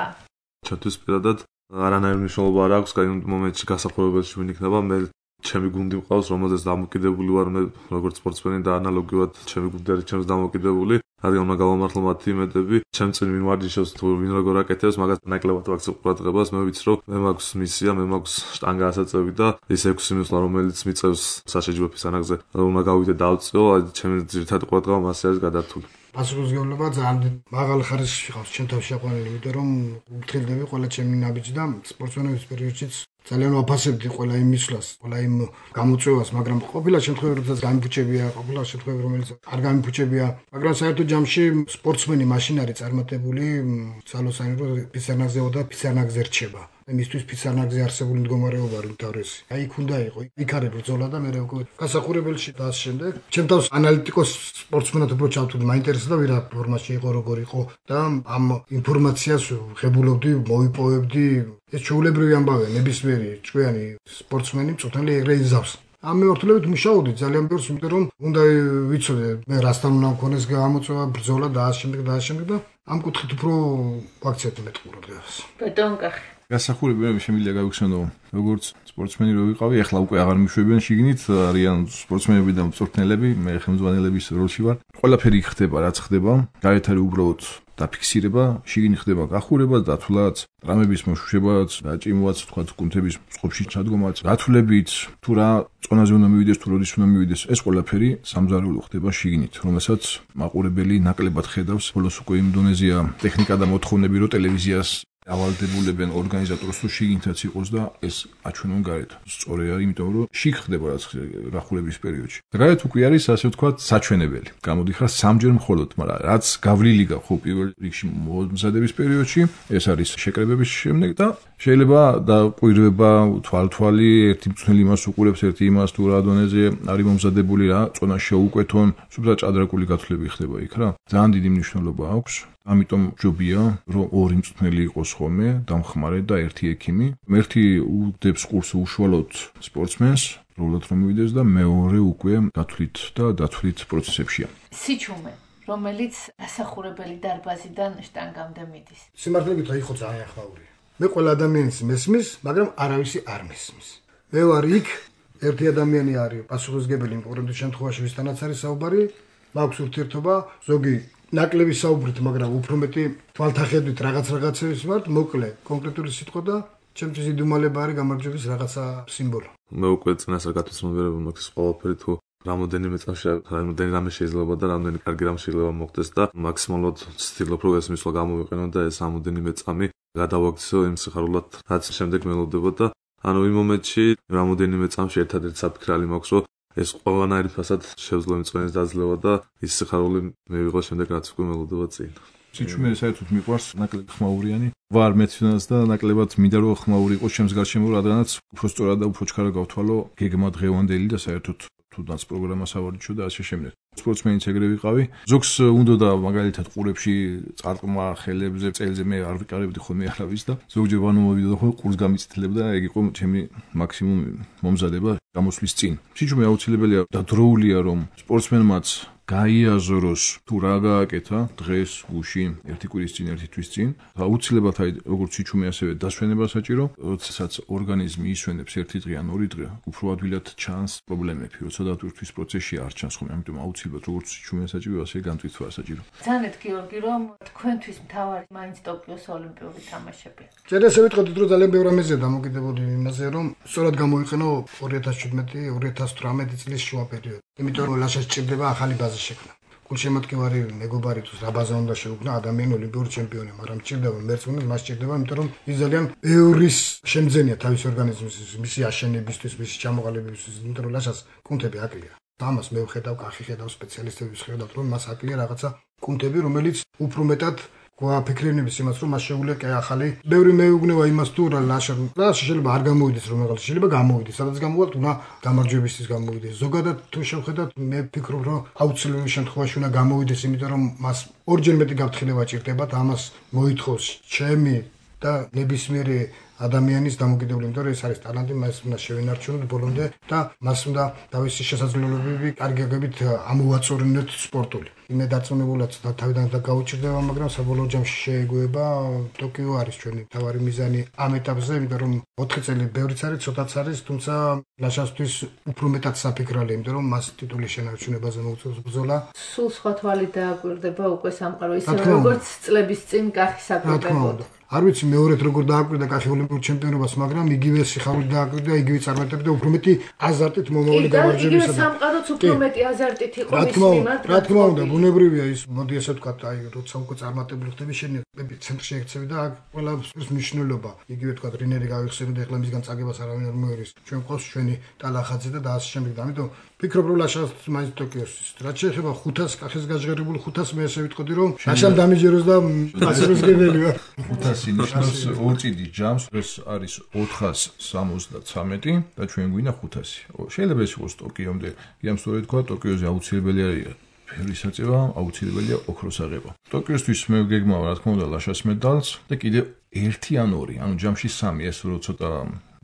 ჩემთვის პირადად არანაირი მნიშვნელობა არ აქვს, იმ მომენტში გასახურებელში ვინ იქნება, მე ჩემი გუნდი მყავს, რომელზეც დამოკიდებული ვარ მე როგორც სპორტსმენი და ანალოგიურად ჩემი გუნდი არის ჩემს დამოკიდებული. რადგან უნდა გავამართლო მათი იმედები, ჩემ წინ ვინ ვარჯიშობს თუ ვინ როგორ აკეთებს, მაგას ნაკლებად ვაქცევ ყურადღებას, მე ვიცი რომ მე მაქვს მისია, მე მაქვს შტანგა ასაწევი და ის 6 მისვლა რომელიც მიწევს საშეჯიბრო ფისანაკზე, უნდა გავიდე დავწიო, ჩემი ძირითადი ყურადღება მასე არის გადართული. პასუხისმგებლობა ძალიან მაღალ ხარისხში ყავს ჩემ თავში აყვანილი, იმიტომ რომ ვფრთხილდები ყველა ჩემი ნაბიჯი და სპორტსმენების პერიოდშიც ძალიან ვაფასებდი ყველა იმ მისვლას, ყველა იმ გამოწვევას, მაგრამ ყოფილა შემთხვევები, როდესაც გამიფუჭებია, ყოფილა შემთხვევები, რომელიც არ გამიფუჭებია, მაგრამ საერთოდ ჯამში სპორტსმენი მაშინ არის წარმატებული, ძალოსანი რომ ფისარნაგზეო და ფისარნაგზე რჩება. მისთვის ფისარნაგზე არსებული მდგომარეობა არის თავისი. აი იქ უნდა იყო, იქ არის ბრძოლა და მე უკვე გასახურებელში და ამ შემდეგ ჩემ თავს ანალიტიკოს სპორტსმენად უფრო ჩავთვლი, მაინტერესდა ვირა ფორმაში იყო, როგორ იყო და ამ ინფორმაციას ღებულობდი, მოვიპოვებდი. ეს ჩვეულებრივი ამბავია, ნებისმიერი ჭკვიანი სპორტსმენი მწვრთნელი ეგრე იზავს. ამ მიმართულებით მუშაობდი ძალიან ბევრს, იმიტომ რომ უნდა ვიცოდე მე რასთან უნდა მქონეს გამოწვევა, ბრძოლა და ამ შემდეგ და ამ კუთხით უფრო ვაქცევდი მეტ ყურადღებას. ბატონ კახი გასახურებელები შემიძლია გავიხსენო როგორც სპორტსმენი რო ვიყავი, ახლა უკვე აღარ მიშვებიან შიგნით, არიან სპორტსმენები და მწვრთნელები, მე ხელმძღვანელების როლში ვარ. ყველაფერი ხდება, რაც ხდება, გარეთ არის უბრალოდ დაფიქსირება, შიგნით ხდება გახურება, დათვლაც, ტრამების მოშუშებაც, დაჭიმვაც, თქვა კუნთების წყობში ჩადგომაც, გათვლებით, თუ რა წონაზე უნდა მივიდეს, თუ როდის უნდა მივიდეს, ეს ყველაფერი სამზარეულო ხდება შიგნით, რომელსაც მაყურებელი ნაკლებად ხედავს. ბოლოს უკვე იმ დონეზეა ტექნიკა და მოთხოვნები, რომ ტელევიზიას ავალდებულებენ ორგანიზატორს თუ შიგნითაც იყოს და ეს აჩვენონ გარეთ. სწორი არის, იმიტომ რომ შიგ ხდება რაც გახურების პერიოდში. და გარეთ უკვე არის ასე ვთქვათ საჩვენებელი. გამოდიხარ სამჯერ მხოლოდ, მაგრამ რაც გავლილი გაქვს ხო პირველ რიგში მომზადების პერიოდში, ეს არის შეკრებების შემდეგ და შეიძლება დაკვირვება თვალთვალი, ერთი მწვრთნელი იმას უყურებს, ერთი იმას თუ რა დონეზე არის მომზადებული რა, წონა შეუკვეთონ, სულ ჭადრაკული გათვლები ხდება იქ რა. ძალიან დიდი მნიშვნელობა აქვს. ამიტომ ჯობია, რომ ორი მწვრთნელი იყოს ხოლმე, დამხმარე და ერთი ექიმი. ერთი უდებს კურსს უშუალოდ სპორტსმენს, როლად რომ მივიდეს და მეორე უკვე დათვლით და დათვლით პროცესებშია. სიჩუმე, რომელიც ასახურებელი დარბაზიდან შტანგამდე მიდის. სიმართლე გითხრა, იყო ძალიან ხმაურია. მე ყველა ადამიანის მესმის, მაგრამ არავისი არ მესმის. მე ვარ იქ, ერთი ადამიანი არის პასუხისმგებელი იმპორტანტ შემთხვევაში, ვისთანაც არის საუბარი, მაქვს ურთიერთობა, ზოგი ნაკლები საუბრით, მაგრამ უფრო მეტი თვალთახედვით რაღაცების ვართ, მოკლე, კონკრეტული სიტყვა და ჩემთვის იდუმალება არის გამარჯვების რაღაცა სიმბოლო. მე უკვე წინასწარ გათვალისწინებელია მაქვს ყველაფერი თუ რამოდენიმე წამში რამოდენიმე რამე შეიძლება და რამდენი კარგი რამ შეიძლება მოხდეს და მაქსიმალურად ვცდილობ რომ ეს მისვლა გამოვიყენო და ეს რამოდენიმე წამი გადავაქცევ იმ სიხარულად რაც შემდეგ მელოდება და ანუ იმ მომენტში რამოდენიმე წამში ერთადერთი საფიქრალი მაქვს რომ ეს ყველანაირი ფასად შევძლო იმ წვენის დაძლევა და ის სიხარული მივიღო შემდეგ რაც უკვე მელოდება წინ. სიჩუმე საერთოდ მიყვარს ნაკლებ ხმაურიანი ვარ მეცნიერს და ნაკლებად მინდა რომ ხმაური იყოს ჩემს გარშემო რადგანაც უფრო სწორად და უფრო ჩქარა გავთვალო გეგმა დღევანდელი და საერთოდ თუნდაც პროგრამა სავარჯიშო და ასე შემდეგ. სპორტსმენიც ეგრე ვიყავი. ზოგს უნდა და მაგალითად ყურებში წარყმა ხელებზე წელზე მე არ ვიყარებდი ხოლმე არავის და ზოგჯერ ვანომოვიდო ხოლმე ყურს გამიწითლებდა და ეგ იყო ჩემი მაქსიმუმ მომზადება გამოსვლის წინ. სიჩუმე აუცილებელია და დროულია რომ სპორტსმენმაც გაიაზროს თუ რა გააკეთა დღეს გუში ერთი კვირის წინ ერთი თვის წინ აუცილებლად აი როგორც სიჩუმე ასევე დასვენება საჭირო როდესაც ორგანიზმი ისვენებს ერთი დღე ან ორი დღე უფრო ადვილად ჩანს პრობლემები როცა დატვირთვის პროცესში არ ჩანს ხოლმე ამიტომ აუცილებლად როგორც სიჩუმე საჭირო ასე განტვირთვა საჭირო ძანეთ გიორგი რომ თქვენთვის მთავარი მაინც ტოკიოს ოლიმპიური თამაშებია წერა ესე ვიტყოდით რომ ძალიან ბევრი ამაზეა დამოკიდებული იმაზე რომ სწორად გამოიყენო 2017-2018 წლის შუა პერიოდი იმიტომ რომ ლაშას ჭირდება ახალი ბაზა შექმნა. გულშემატკივარი მეგობარი თუ რა ბაზა უნდა შეუქმნა ადამიანი ოლიმპიური ჩემპიონი, მაგრამ ჭირდება მერწმუნე, მას ჭირდება, იმიტომ რომ ის ძალიან ბევრის შემძენია თავის ორგანიზმის, მისი აშენებისთვის, მისი ჩამოყალიბებისთვის, იმიტომ რომ ლაშას კუნთები აკლია. ამას მე ვხედავ, კახი ხედავ, სპეციალისტები ხედავთ, რომ მას აკლია რაღაცა კუნთები, რომელიც უფრო მეტად გვაფიქრენებს იმას, რომ მას შეუძლია კი ახალი. ბევრი მეუბნება იმას თუ რა ლაშა შეიძლება არ გამოვიდეს რომ რაღაც შეიძლება გამოვიდეს. სადაც გამოვალთ, უნდა გამარჯვებისთვის გამოვიდეს. ზოგადად თუ შევხედათ, მე ვფიქრობ, რომ აუცილებელი შემთხვევაში უნდა გამოვიდეს, იმიტომ რომ მას ორჯერ მეტი გაფრთხილება ჭირდება და ამას მოითხოვს ჩემი და ნებისმიერი ადამიანის დამოკიდებული, იმიტომ რომ ეს არის ტალანტი, მას უნდა შევინარჩუნოთ ბოლომდე და მას უნდა თავისი შესაძლებლობები კარგი გაგებით ამოვაწორინოთ სპორტული. მე დარწმუნებულად თავიდან და გაუჭირდება, მაგრამ საბოლოო ჯამში შეეგუება ტოკიო არის ჩვენი თავარი მიზანი ამ ეტაპზე, იმიტომ რომ 4 წელი ბევრიც არის, ცოტაც არის, თუმცა ლაშასთვის უფრო მეტად საფიქრალია, იმიტომ რომ მას ტიტულის შენარჩუნებაზე მოუწევს ბრძოლა. სულ სხვა თვალი დააკვირდება უკვე სამყარო ისე როგორც წლების წინ კახის აკვირდებოდა. არ ვიცი მეორედ როგორ დააკვირდა კახი ოლიმპიურ ჩემპიონობას, მაგრამ იგივე სიხარულით დააკვირდა, იგივე წარმატებით და უფრო მეტი აზარტით მომავალი გამარჯვებისა. იგივე სამყაროც უფრო მეტი აზარტით იყო მის მიმართ. რა თქმა უნდა, ბუნებრივია ის, მოდი ასე ვთქვათ, აი როცა უკვე წარმატებული ხდები, შენი ცენტრში ექცევი და აქ ყველაფრის მნიშვნელობა. იგივე ვთქვათ, რინერი გავიხსენოთ, ეხლა მისგან წაგებას არავინ არ მოერის. ჩვენ ყავს ჩვენი ტალახაძე და ასე შემდეგ. ამიტომ ვფიქრობ, რომ ლაშას მაინც ტოკიოს. რაც შეეხება 500 კახის გაჟღერებულ 500 მე ასე ვიტყოდი, რომ ლაშამ დამიჯეროს და პასუხისმგებელი ვარ. 500 ნიშნავს ორ წიდის ჯამს, ეს არის 473 და ჩვენ გვინდა 500. შეიძლება ეს იყოს ტოკიომდე. იამ სწორედ თქვა, ტოკიოზე აუცილებელი არის ფერის აწევა, აუცილებელია ოქროს აღება. ტოკიოსთვის მე გეგმავ, რა თქმა უნდა, ლაშას მედალს და კიდევ 1 ან 2, ანუ ჯამში 3, ეს რო ცოტა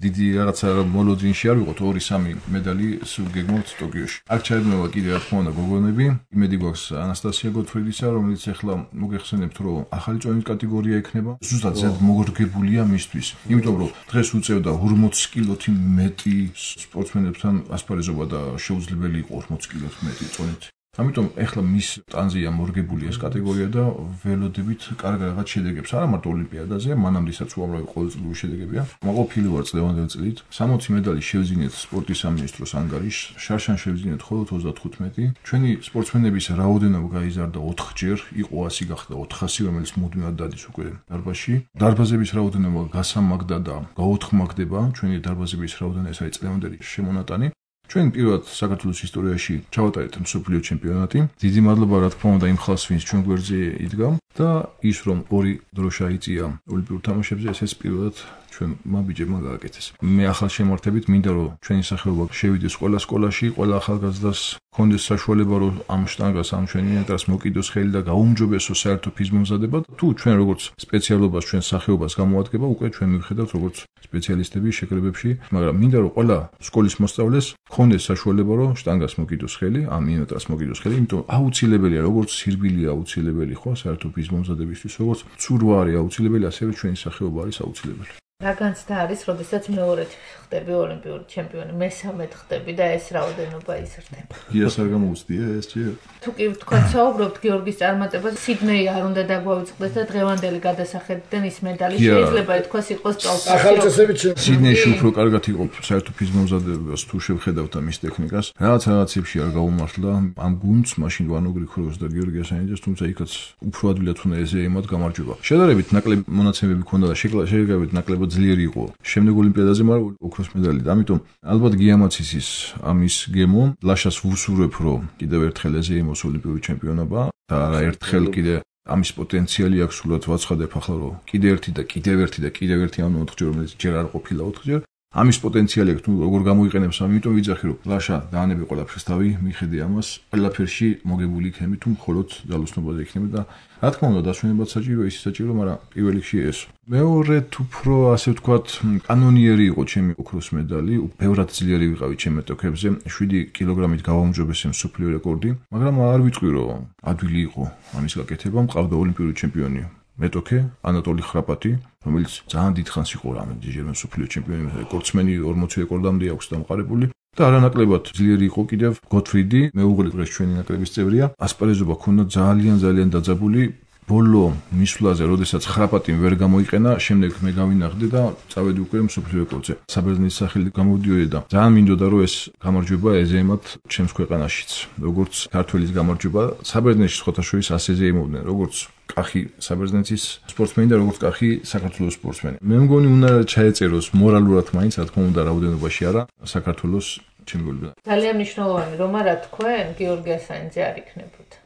დიდი რაღაცა მოლოდინში არ ვიყოთ 2-3 მედალი გეგმავთ ტოკიოში. აქ ჩაებნება კიდევ რა თქმა უნდა გოგონები. იმედი გვაქვს ანასტასია გოთფრიდისა, რომელიც ახლა მოგეხსენებთ, რომ ახალი წონის კატეგორია ექნება. ზუსტად ზედ მოგორგებულია მისთვის. იმიტომ რომ დღეს უწევდა 40 კილოთი მეტი სპორტსმენებთან ასპარეზობა და შეუძლებელი იყო 40 კილოთი მეტი წონით. ამიტომ ახლა მის ტანზია მორგებული ეს კატეგორია და ველოდებით კარგ რაღაც შედეგებს არა მარტო ოლიმპიადაზე, მანამდესაც უამრავი ყოველწლიური შედეგებია. მაყოფილი ვარ წლევანდელ წლით. 60 მედალი შევძინეთ სპორტის სამინისტროს ანგარიშს, შარშან შევძინეთ მხოლოდ 35. ჩვენი სპორტსმენების რაოდენობა გაიზარდა 4ჯერ, იყო 100 გახდა 400, რომელიც მუდმივად დადის უკვე დარბაზში. დარბაზების რაოდენობა გასამაგდა და გაოთხმაგდება. ჩვენი დარბაზების რაოდენობა ეს არის წლევანდელი შემონატანი. ჩვენ პირველად საქართველოს ისტორიაში ჩავატარეთ მსოფლიო ჩემპიონატი. დიდი მადლობა რა თქმა უნდა იმ ხალხს, ვინც ჩვენ გვერდზე იდგა და ის რომ ორი დროშა იწია ოლიმპიურ თამაშებზე, ეს პირველად ჩვენ მაბიჯებმა გააკეთეს. მე ახალ შემართებით მინდა რომ ჩვენი სახეობა შევიდეს ყველა სკოლაში, ყველა ახალგაზრდას კონდეს საშუალება რომ ამ შტანგას, ამ ჩვენი ენტრას მოკიდოს ხელი და გაუმჯობესოს საერთო ფიზმომზადება. თუ ჩვენ როგორც სპეციალობას, ჩვენ სახეობას გამოადგება, უკვე ჩვენ მივხედავთ როგორც სპეციალისტები შეკრებებში, მაგრამ მინდა რომ ყველა სკოლის მოსწავლეს კონდეს საშუალება რომ შტანგას მოკიდოს ხელი, ამ ენტრას მოკიდოს ხელი, იმიტომ აუცილებელია როგორც სირბილია აუცილებელი ხო საერთო ფიზმომზადებისთვის, როგორც ცურვა არის აუცილებელი, ასევე ჩვენი სახეობა არის აუცილებელი. რა განცდა არის, როდესაც მეორედ ხდები ოლიმპიური ჩემპიონი, მესამედ ხდები და ეს რაოდენობა იზრდება. გიას არ გამოუცდია ეს ჯერ. თუ კი ვთქვათ, საუბრობთ გიორგის წარმატებას, სიდნეი არ უნდა დაგვავიწყდეს და დღევანდელი გადასახედიდან ის медаლი შეიძლება ითქვას იყოს ახალწესებიც სიდნეიში უფრო კარგად იყო საერთო ფიზმომზადებას თუ შევხედავთ ამის ტექნიკას. რაღაცებში არ გაუმართლა ამ გუნდს, მაშინ ვანო გრიქოროვს და გიორგი ასანიძეს, თუმცა იქაც უფრო ადვილად უნდა ეზეიმად გამარჯვება. შედარებით ნაკლები მონაცემები ქონდა და შეგებით ნაკლებად ძლიერი იყო შემდეგ ოლიმპიადაზე, მაგრამ ოქროს მედალი და ამიტომ ალბათ გიამაცისის ამის გემო ლაშას ვუსურებ რომ კიდევ ერთხელ ეზეიმოს ოლიმპიური ჩემპიონობა და არა ერთხელ კიდე ამის პოტენციალი აქვს სულად ვაცხადებ ახლა რომ კიდევ ერთი ამ 4 ჯერ რომელიც ჯერ არ ყოფილა 4 ჯერ ამის პოტენციალი აქვს თუ როგორ გამოიყენებს ამიტომ ვიძახი რომ ლაშა დაანები ყველაფერს თავი მიხედე ამას ყველაფერში მოგებული იქნება თუ მხოლოდ ძალოსნობაზე იქნება და რა თქმა უნდა დასვენებად საჭირო ის საჭირო მაგრამ პირველ რიგში ეს მეორედ უფრო ასე ვთქვათ კანონიერი იყო ჩემი ოქროს მედალი ბევრად ძლიერი ვიყავი ჩემ მეტოქებზე 7 კილოგრამით გავაუმჯობესე მსოფლიო რეკორდი მაგრამ არ ვიტყვი რომ ადვილი იყო ამის გაკეთება მყავდა ოლიმპიური ჩემპიონი მეტოქე ანატოლი ხრაპატი რომელიც ძალიან დიდხანს იყო რამე მსოფლიო ჩემპიონი რეკორდსმენი 40 რეკორდამდე აქვს დამყარებული და არანაკლებად ძლიერი იყო კიდევ გოთფრიდი მეუღლე დღეს ჩვენი ნაკრების წევრია ასპარეზობა ქონდა ძალიან დაძაბული ბოლო მისვლაზე როდესაც ხრაპატი ვერ გამოიყენა შემდეგ მე გავინახდი და წავედი უკვე მსოფლიო რეკორდზე საბერძნეთის სახელი გამოვიდიოდი და ძალიან მინდოდა რომ ეს გამარჯვება ეზეიმათ ჩემს ქვეყანაშიც როგორც ქართველის გამარჯვება საბერძნეთში სხვათა შორის ასეზე იმოვდნენ როგორც კახი საბერძნეთის სპორტსმენი და როგორც კახი საქართველოს სპორტსმენი. მე მგონი უნდა ჩაეწეროს მორალურად მაინც რა თქმა უნდა რაოდენობაში არა საქართველოს ჩემპიონობა. ძალიან მნიშვნელოვანი რომ რა თქვენ გიორგი ასანიძე არ იქნებოდა.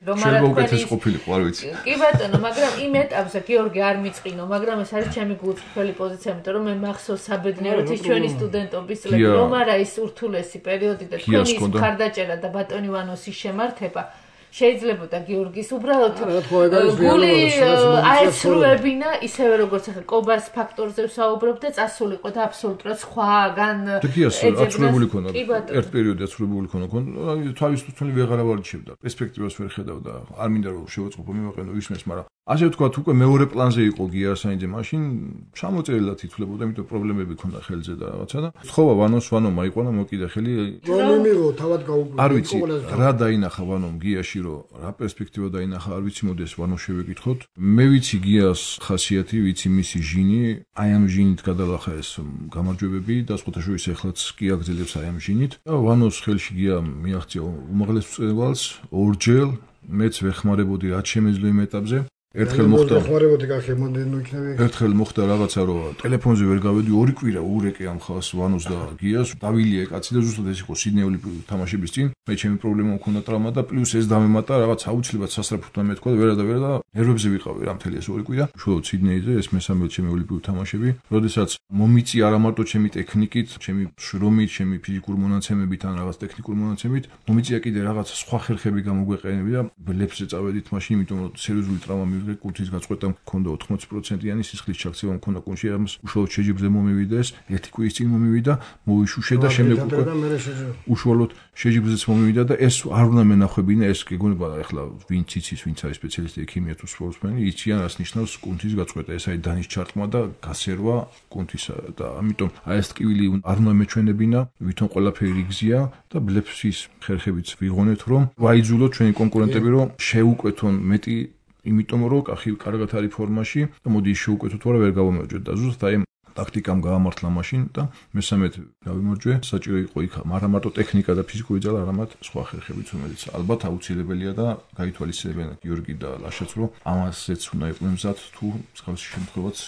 შეგოგეთეს ყოფილიყო არ ვიცი. კი ბატონო, მაგრამ იმ ეტაპზე გიორგი არ მიწყინო, მაგრამ ეს არის ჩემი გულწრფელი პოზიცია, იმიტომ რომ მე მახსოვს საბედნიეროდ ის ჩვენი სტუდენტობის წლები, რომ არა ის ურთულესი პერიოდი და თქვენი ის მხარდაჭერა და ბატონი ვანოსის შემართება შეიძლებოდა გიორგის უბრალოდ გული აეცრუებინა ისევე როგორც ახლა კობას ფაქტორზე ვსაუბრობ და წასულიყო და აბსოლუტურად სხვაგან ეძებნებული ქონა ერთ პერიოდში აცრუებული ქონა თავის თვითონი ვეღარ ავარჩევდა პერსპექტივას ვერ ხედავდა არ მინდა რომ შევაწყობო მივაყენო ისმეს მაგრამ ასე ვთქვათ უკვე მეორე პლანზე იყო გია ასანიძე მაშინ ჩამოწერილად ითვლებოდა იმიტომ პრობლემები ქონდა ხელზე და რაღაცა და თხოვა ვანო მაიყვანა მოკიდა ხელი რომ მიღო თავად გაუგო არ ვიცი რა დაინახა ვანომ გიაში რომ რა პერსპექტივა დაინახა არ ვიცი მოდეს ვანო შევეკითხოთ მე ვიცი გიას ხასიათი ვიცი მისი ჟინი აი ამ ჟინით გადალახა ეს გამარჯვებები და სხვათა შორის ეხლაც კი აგრძელებს აი ამ ჟინით და ვანოს ხელში გია მიაღწია უმაღლეს მწვერვალს ორჯერ მეც ვეხმარებოდი რაც შემეძლო იმ ეტაპზე ერთხელ მოხდა ხმარებოდი კახი მომდენო იქნები ერთხელ მოხდა რაღაცა რომ ტელეფონზე ვერ გავედი ორი კვირა ურეკე ამ ხალხს ვანოს და გიას დავილია კაცი და ზუსტად ეს იყო სიდნეი ოლიმპიური თამაშების წინ მე ჩემი პრობლემა მქონდა ტრავმა და პლუს ეს დამემატა რაღაც აუცილებლად სასწრაფოთან მეთქვა და ვერა და ნერვებზე ვიყავი რა მთელი ეს ორი კვირა უშუალოდ სიდნეიზე ეს მესამე ჩემი ოლიმპიური თამაშები როდესაც მომიწი არა მარტო ჩემი ტექნიკით ჩემი შრომით ჩემი ფიზიკური მონაცემებით ან რაღაც ტექნიკური მონაცემებით მომიწია კიდე რაღაც სხვა ხერხები გამოგვეყენები და ბლებზე წავედით მაშინ იმიტომ რომ სერიოზული ტრავმა კუნთის გაწყვეტა მქონდა 80%-იანი სისხლის ჩაქცევა მქონდა კუნთში ამას უშუალოდ შეჯიბრზე მომივიდა ეს ერთი კვირის წინ მომივიდა მოვიშუშე და შემდეგ უკვე უშუალოდ შეჯიბრზეც მომივიდა და ეს არ უნდა მენახვებინა ეს გეგონება ახლა ვინც იცის ვინც არის სპეციალისტი ექიმია თუ სპორტსმენი იციან რას ნიშნავს კუნთის გაწყვეტა ეს არის დანის ჩარტყმა და გასერვა კუნთისა და ამიტომ აი ეს ტკივილი არ უნდა მეჩვენებინა ვითომ ყველაფერი გზია და ბლეფსის ხერხებიც ვიღონეთ რომ ვაიძულოთ ჩვენი კონკურენტები რომ შეუკვეთონ მეტი იმიტომ რომ კახი კარგად არის ფორმაში და მოდი შეუკვეთოთ ვარა ვერ გავამარჯვეთ და ზუსტად აი ტაქტიკამ გაამართლა მაშინ და მესამედ გავიმარჯვე საჭირო იყო იქ მაგრამ მარტო ტექნიკა და ფიზიკური ძალა არამედ სხვა ხერხებიც რომელიც ალბათ აუცილებელია და გაითვალისწინებენ გიორგი და ლაშაც რომ ამასეც უნდა იყვნენ მზად თუ მსგავსი შემთხვევაც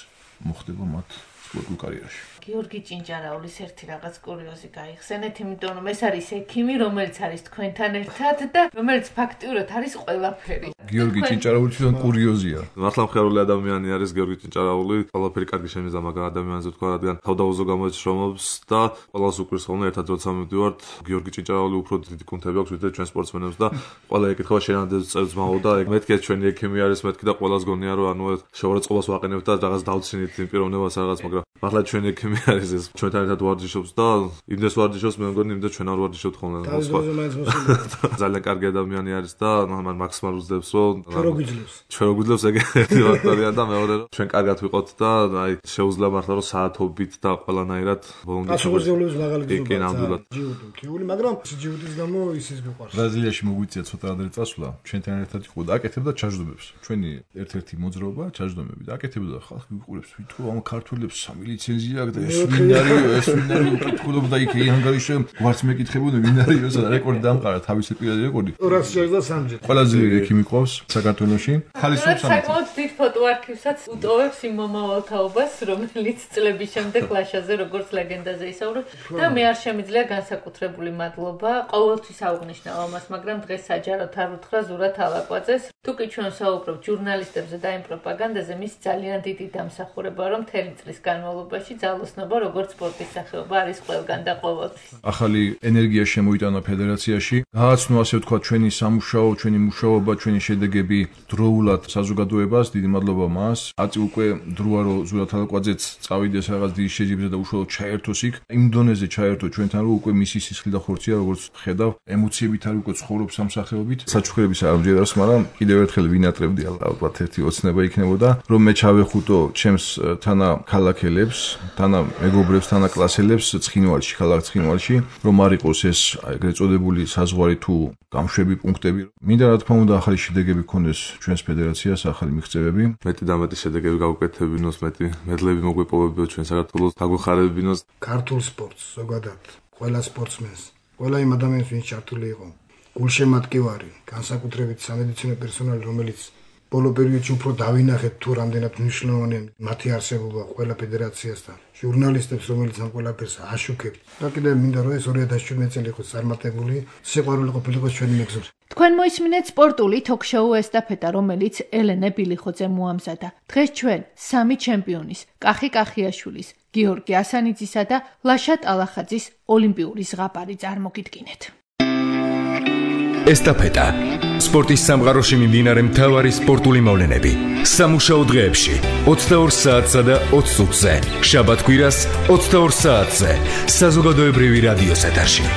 მოხდება მათ სპორტულ კარიერაში. გიორგი ჭინჭარაულის ერთი რაღაც კურიოზი გაიხსენეთ, იმიტომ რომ ეს არის ექიმი, რომელიც არის თქვენთან ერთად და რომელიც ფაქტიურად არის ყველაფერი. გიორგი ჭინჭარაული თვითონ კურიოზია. მართლა მხეარული ადამიანი არის გიორგი ჭინჭარაული, ყველაფერი კარგი შემიძლია მაგ ადამიანზე თქვა, რადგან თავდაუზო გამოეცშრომობს და ყველას უკვირს ხოლმე ერთად როცა მივდივართ, გიორგი ჭინჭარაული უფრო დიდი კუნთები აქვს ვიდრე ჩვენ სპორტსმენებს და ყველა ეკითხება შენამდე წევს ძმაო და მეთქი ჩვენი ექიმი არის მეთქი და ყველას გონია რომ ანუ შეურაცხყოფას ვაყენებთ და რაღაც დავცინით იმ პიროვნებას რაღაც, მაგრამ მართლა ჩვენი ექიმი არის ეს ჩვენთან ერთად ვარჯიშობს და იმდეს ვარჯიშობს მე მგონი იმდეს ჩვენ არ ვარჯიშობთ ხოლმე. ძალიან კარგი ადამიანი არის და მან მაქსიმალურ უძებს რომ ჩვენ გვიძლევს ეგეთი ფაქტორია და მეორე რომ ჩვენ კარგად ვიყოთ და აი შეუძლია მართლა რომ საათობით და ყველანაირად აშუღებულებს მაღალი გზნობაა. ჯიუტი, მაგრამ ჯიუტის გამო ისიც გიყვარს. ბრაზილიაში მოგვიწია ცოტა ადრე წასვლა, ჩვენთან ერთად იყო და აკეთებდა ჩაჯდომებს. ჩვენი ერთ-ერთი მოძრაობა ჩაჯდომები და აკეთებდა ხალხი ვიყურებს თვითონ ამ ქართველებს 3 ლიცენზია აქვს და ეს ვინ არის უკითხულობდა იქ ანგარიშზე გვარც მეკითხებოდა ვინ არის ეს რეკორდი დამყარა თავისი პირადი რეკორდი 263 ყველაზე ექიმი ყავს საქართველოში ხალისობს ამით საკმაოდ დიდ ფოტოარქივსაც უტოვებს იმ მომავალთაობას რომელიც წლების შემდეგ ლაშაზე როგორც ლეგენდაზე ისაუბრებს და მე არ შემიძლია განსაკუთრებული მადლობა ყოველთვის აუღნიშნავ ამას მაგრამ დღეს საჯაროდ არ უთხრა ზურათ ალაკვაძეს თუკი ჩვენ საუბრობთ ჟურნალისტებზე და იმ პროპაგანდაზე მის ძალიან დიდი დამსახურება რომ მთელი წლის განმავლობაში ძალოსნობა როგორც სპორტის სახეობა არის ყველგან და ყოველთვის. ახალი ენერგია შემოიტანა ფედერაციაში. გააცნო ასე ვთქვათ ჩვენი სამუშაო, ჩვენი მუშაობა, ჩვენი შედეგები დროულად საზოგადოებას. დიდი მადლობა მას. აწი უკვე დროა რომ ზურათ ალაკვაძეც წავიდეს რაღაც დიდი შეჯიბრზე და უშუალოდ ჩაერთოს იქ. იმ დონეზე ჩაერთო ჩვენთან რომ უკვე მისი სისხლი და ხორცია როგორც ხედავ, ემოციებით არ უკვე ცხოვრობს ამ სახეობით. საჩუქრების არ ამჯერავს, მაგრამ კიდევ ერთხელ ვინატრებდი ალბათ ერთი ოცნება იქნებოდა, რომ მე ჩავეხუტო ჩემს თანა ქალაქელებს, თანა მეგობრებს, თანა კლასელებს ცხინვალში, ქალაქ ცხინვალში, რომ არ იყოს ეს ეგრეთ წოდებული საზღვარი თუ გამშვები პუნქტები. მინდა რა თქმა უნდა ახალი შედეგები ქონდეს ჩვენს ფედერაციას, ახალი მიღწევები. მეტი და მეტი შედეგები გავუკეთებინოს, მეტი მედლები მოგვეპოვებინოს ჩვენ საქართველოს, გაგვეხარებინოს ქართულ სპორტს, ზოგადად, ყველა სპორტსმენს, ყველა იმ ადამიანს, ვინც ჩართული იყო, გულშემატკივარი, განსაკუთრებით სამედიცინო პერსონალი, რომელიც ბოლო პერიოდში უფრო დავინახეთ თუ რამდენად მნიშვნელოვანია მათი არსებობა ყველა ფედერაციასთან. ჟურნალისტებს, რომელიც ამ ყველაფერს აშუქებთ. და კიდევ მინდა რომ ეს 2017 წელი იყოს წარმატებული, სიყვარული ყოფილიყოს ჩვენი მეგზური. თქვენ მოისმინეთ სპორტული ток-შოუ ესტაფეტა, რომელიც ელენე ბილიხოძე მოამზადა. დღეს ჩვენ 3 ჩემპიონის, კახი კახიაშვილის, გიორგი ასანიძისა და ლაშა ტალახაძის ოლიმპიური ზღაპარი წარმოგიდგინეთ. ესტაფეტა სპორტის სამყაროში მიმდინარე მთავარი სპორტული მოვლენები სამუშაო დღეებში 22 საათსა და 20 წუთზე შაბათ-კვირას 22 საათზე საზოგადოებრივი რადიოს ეთერში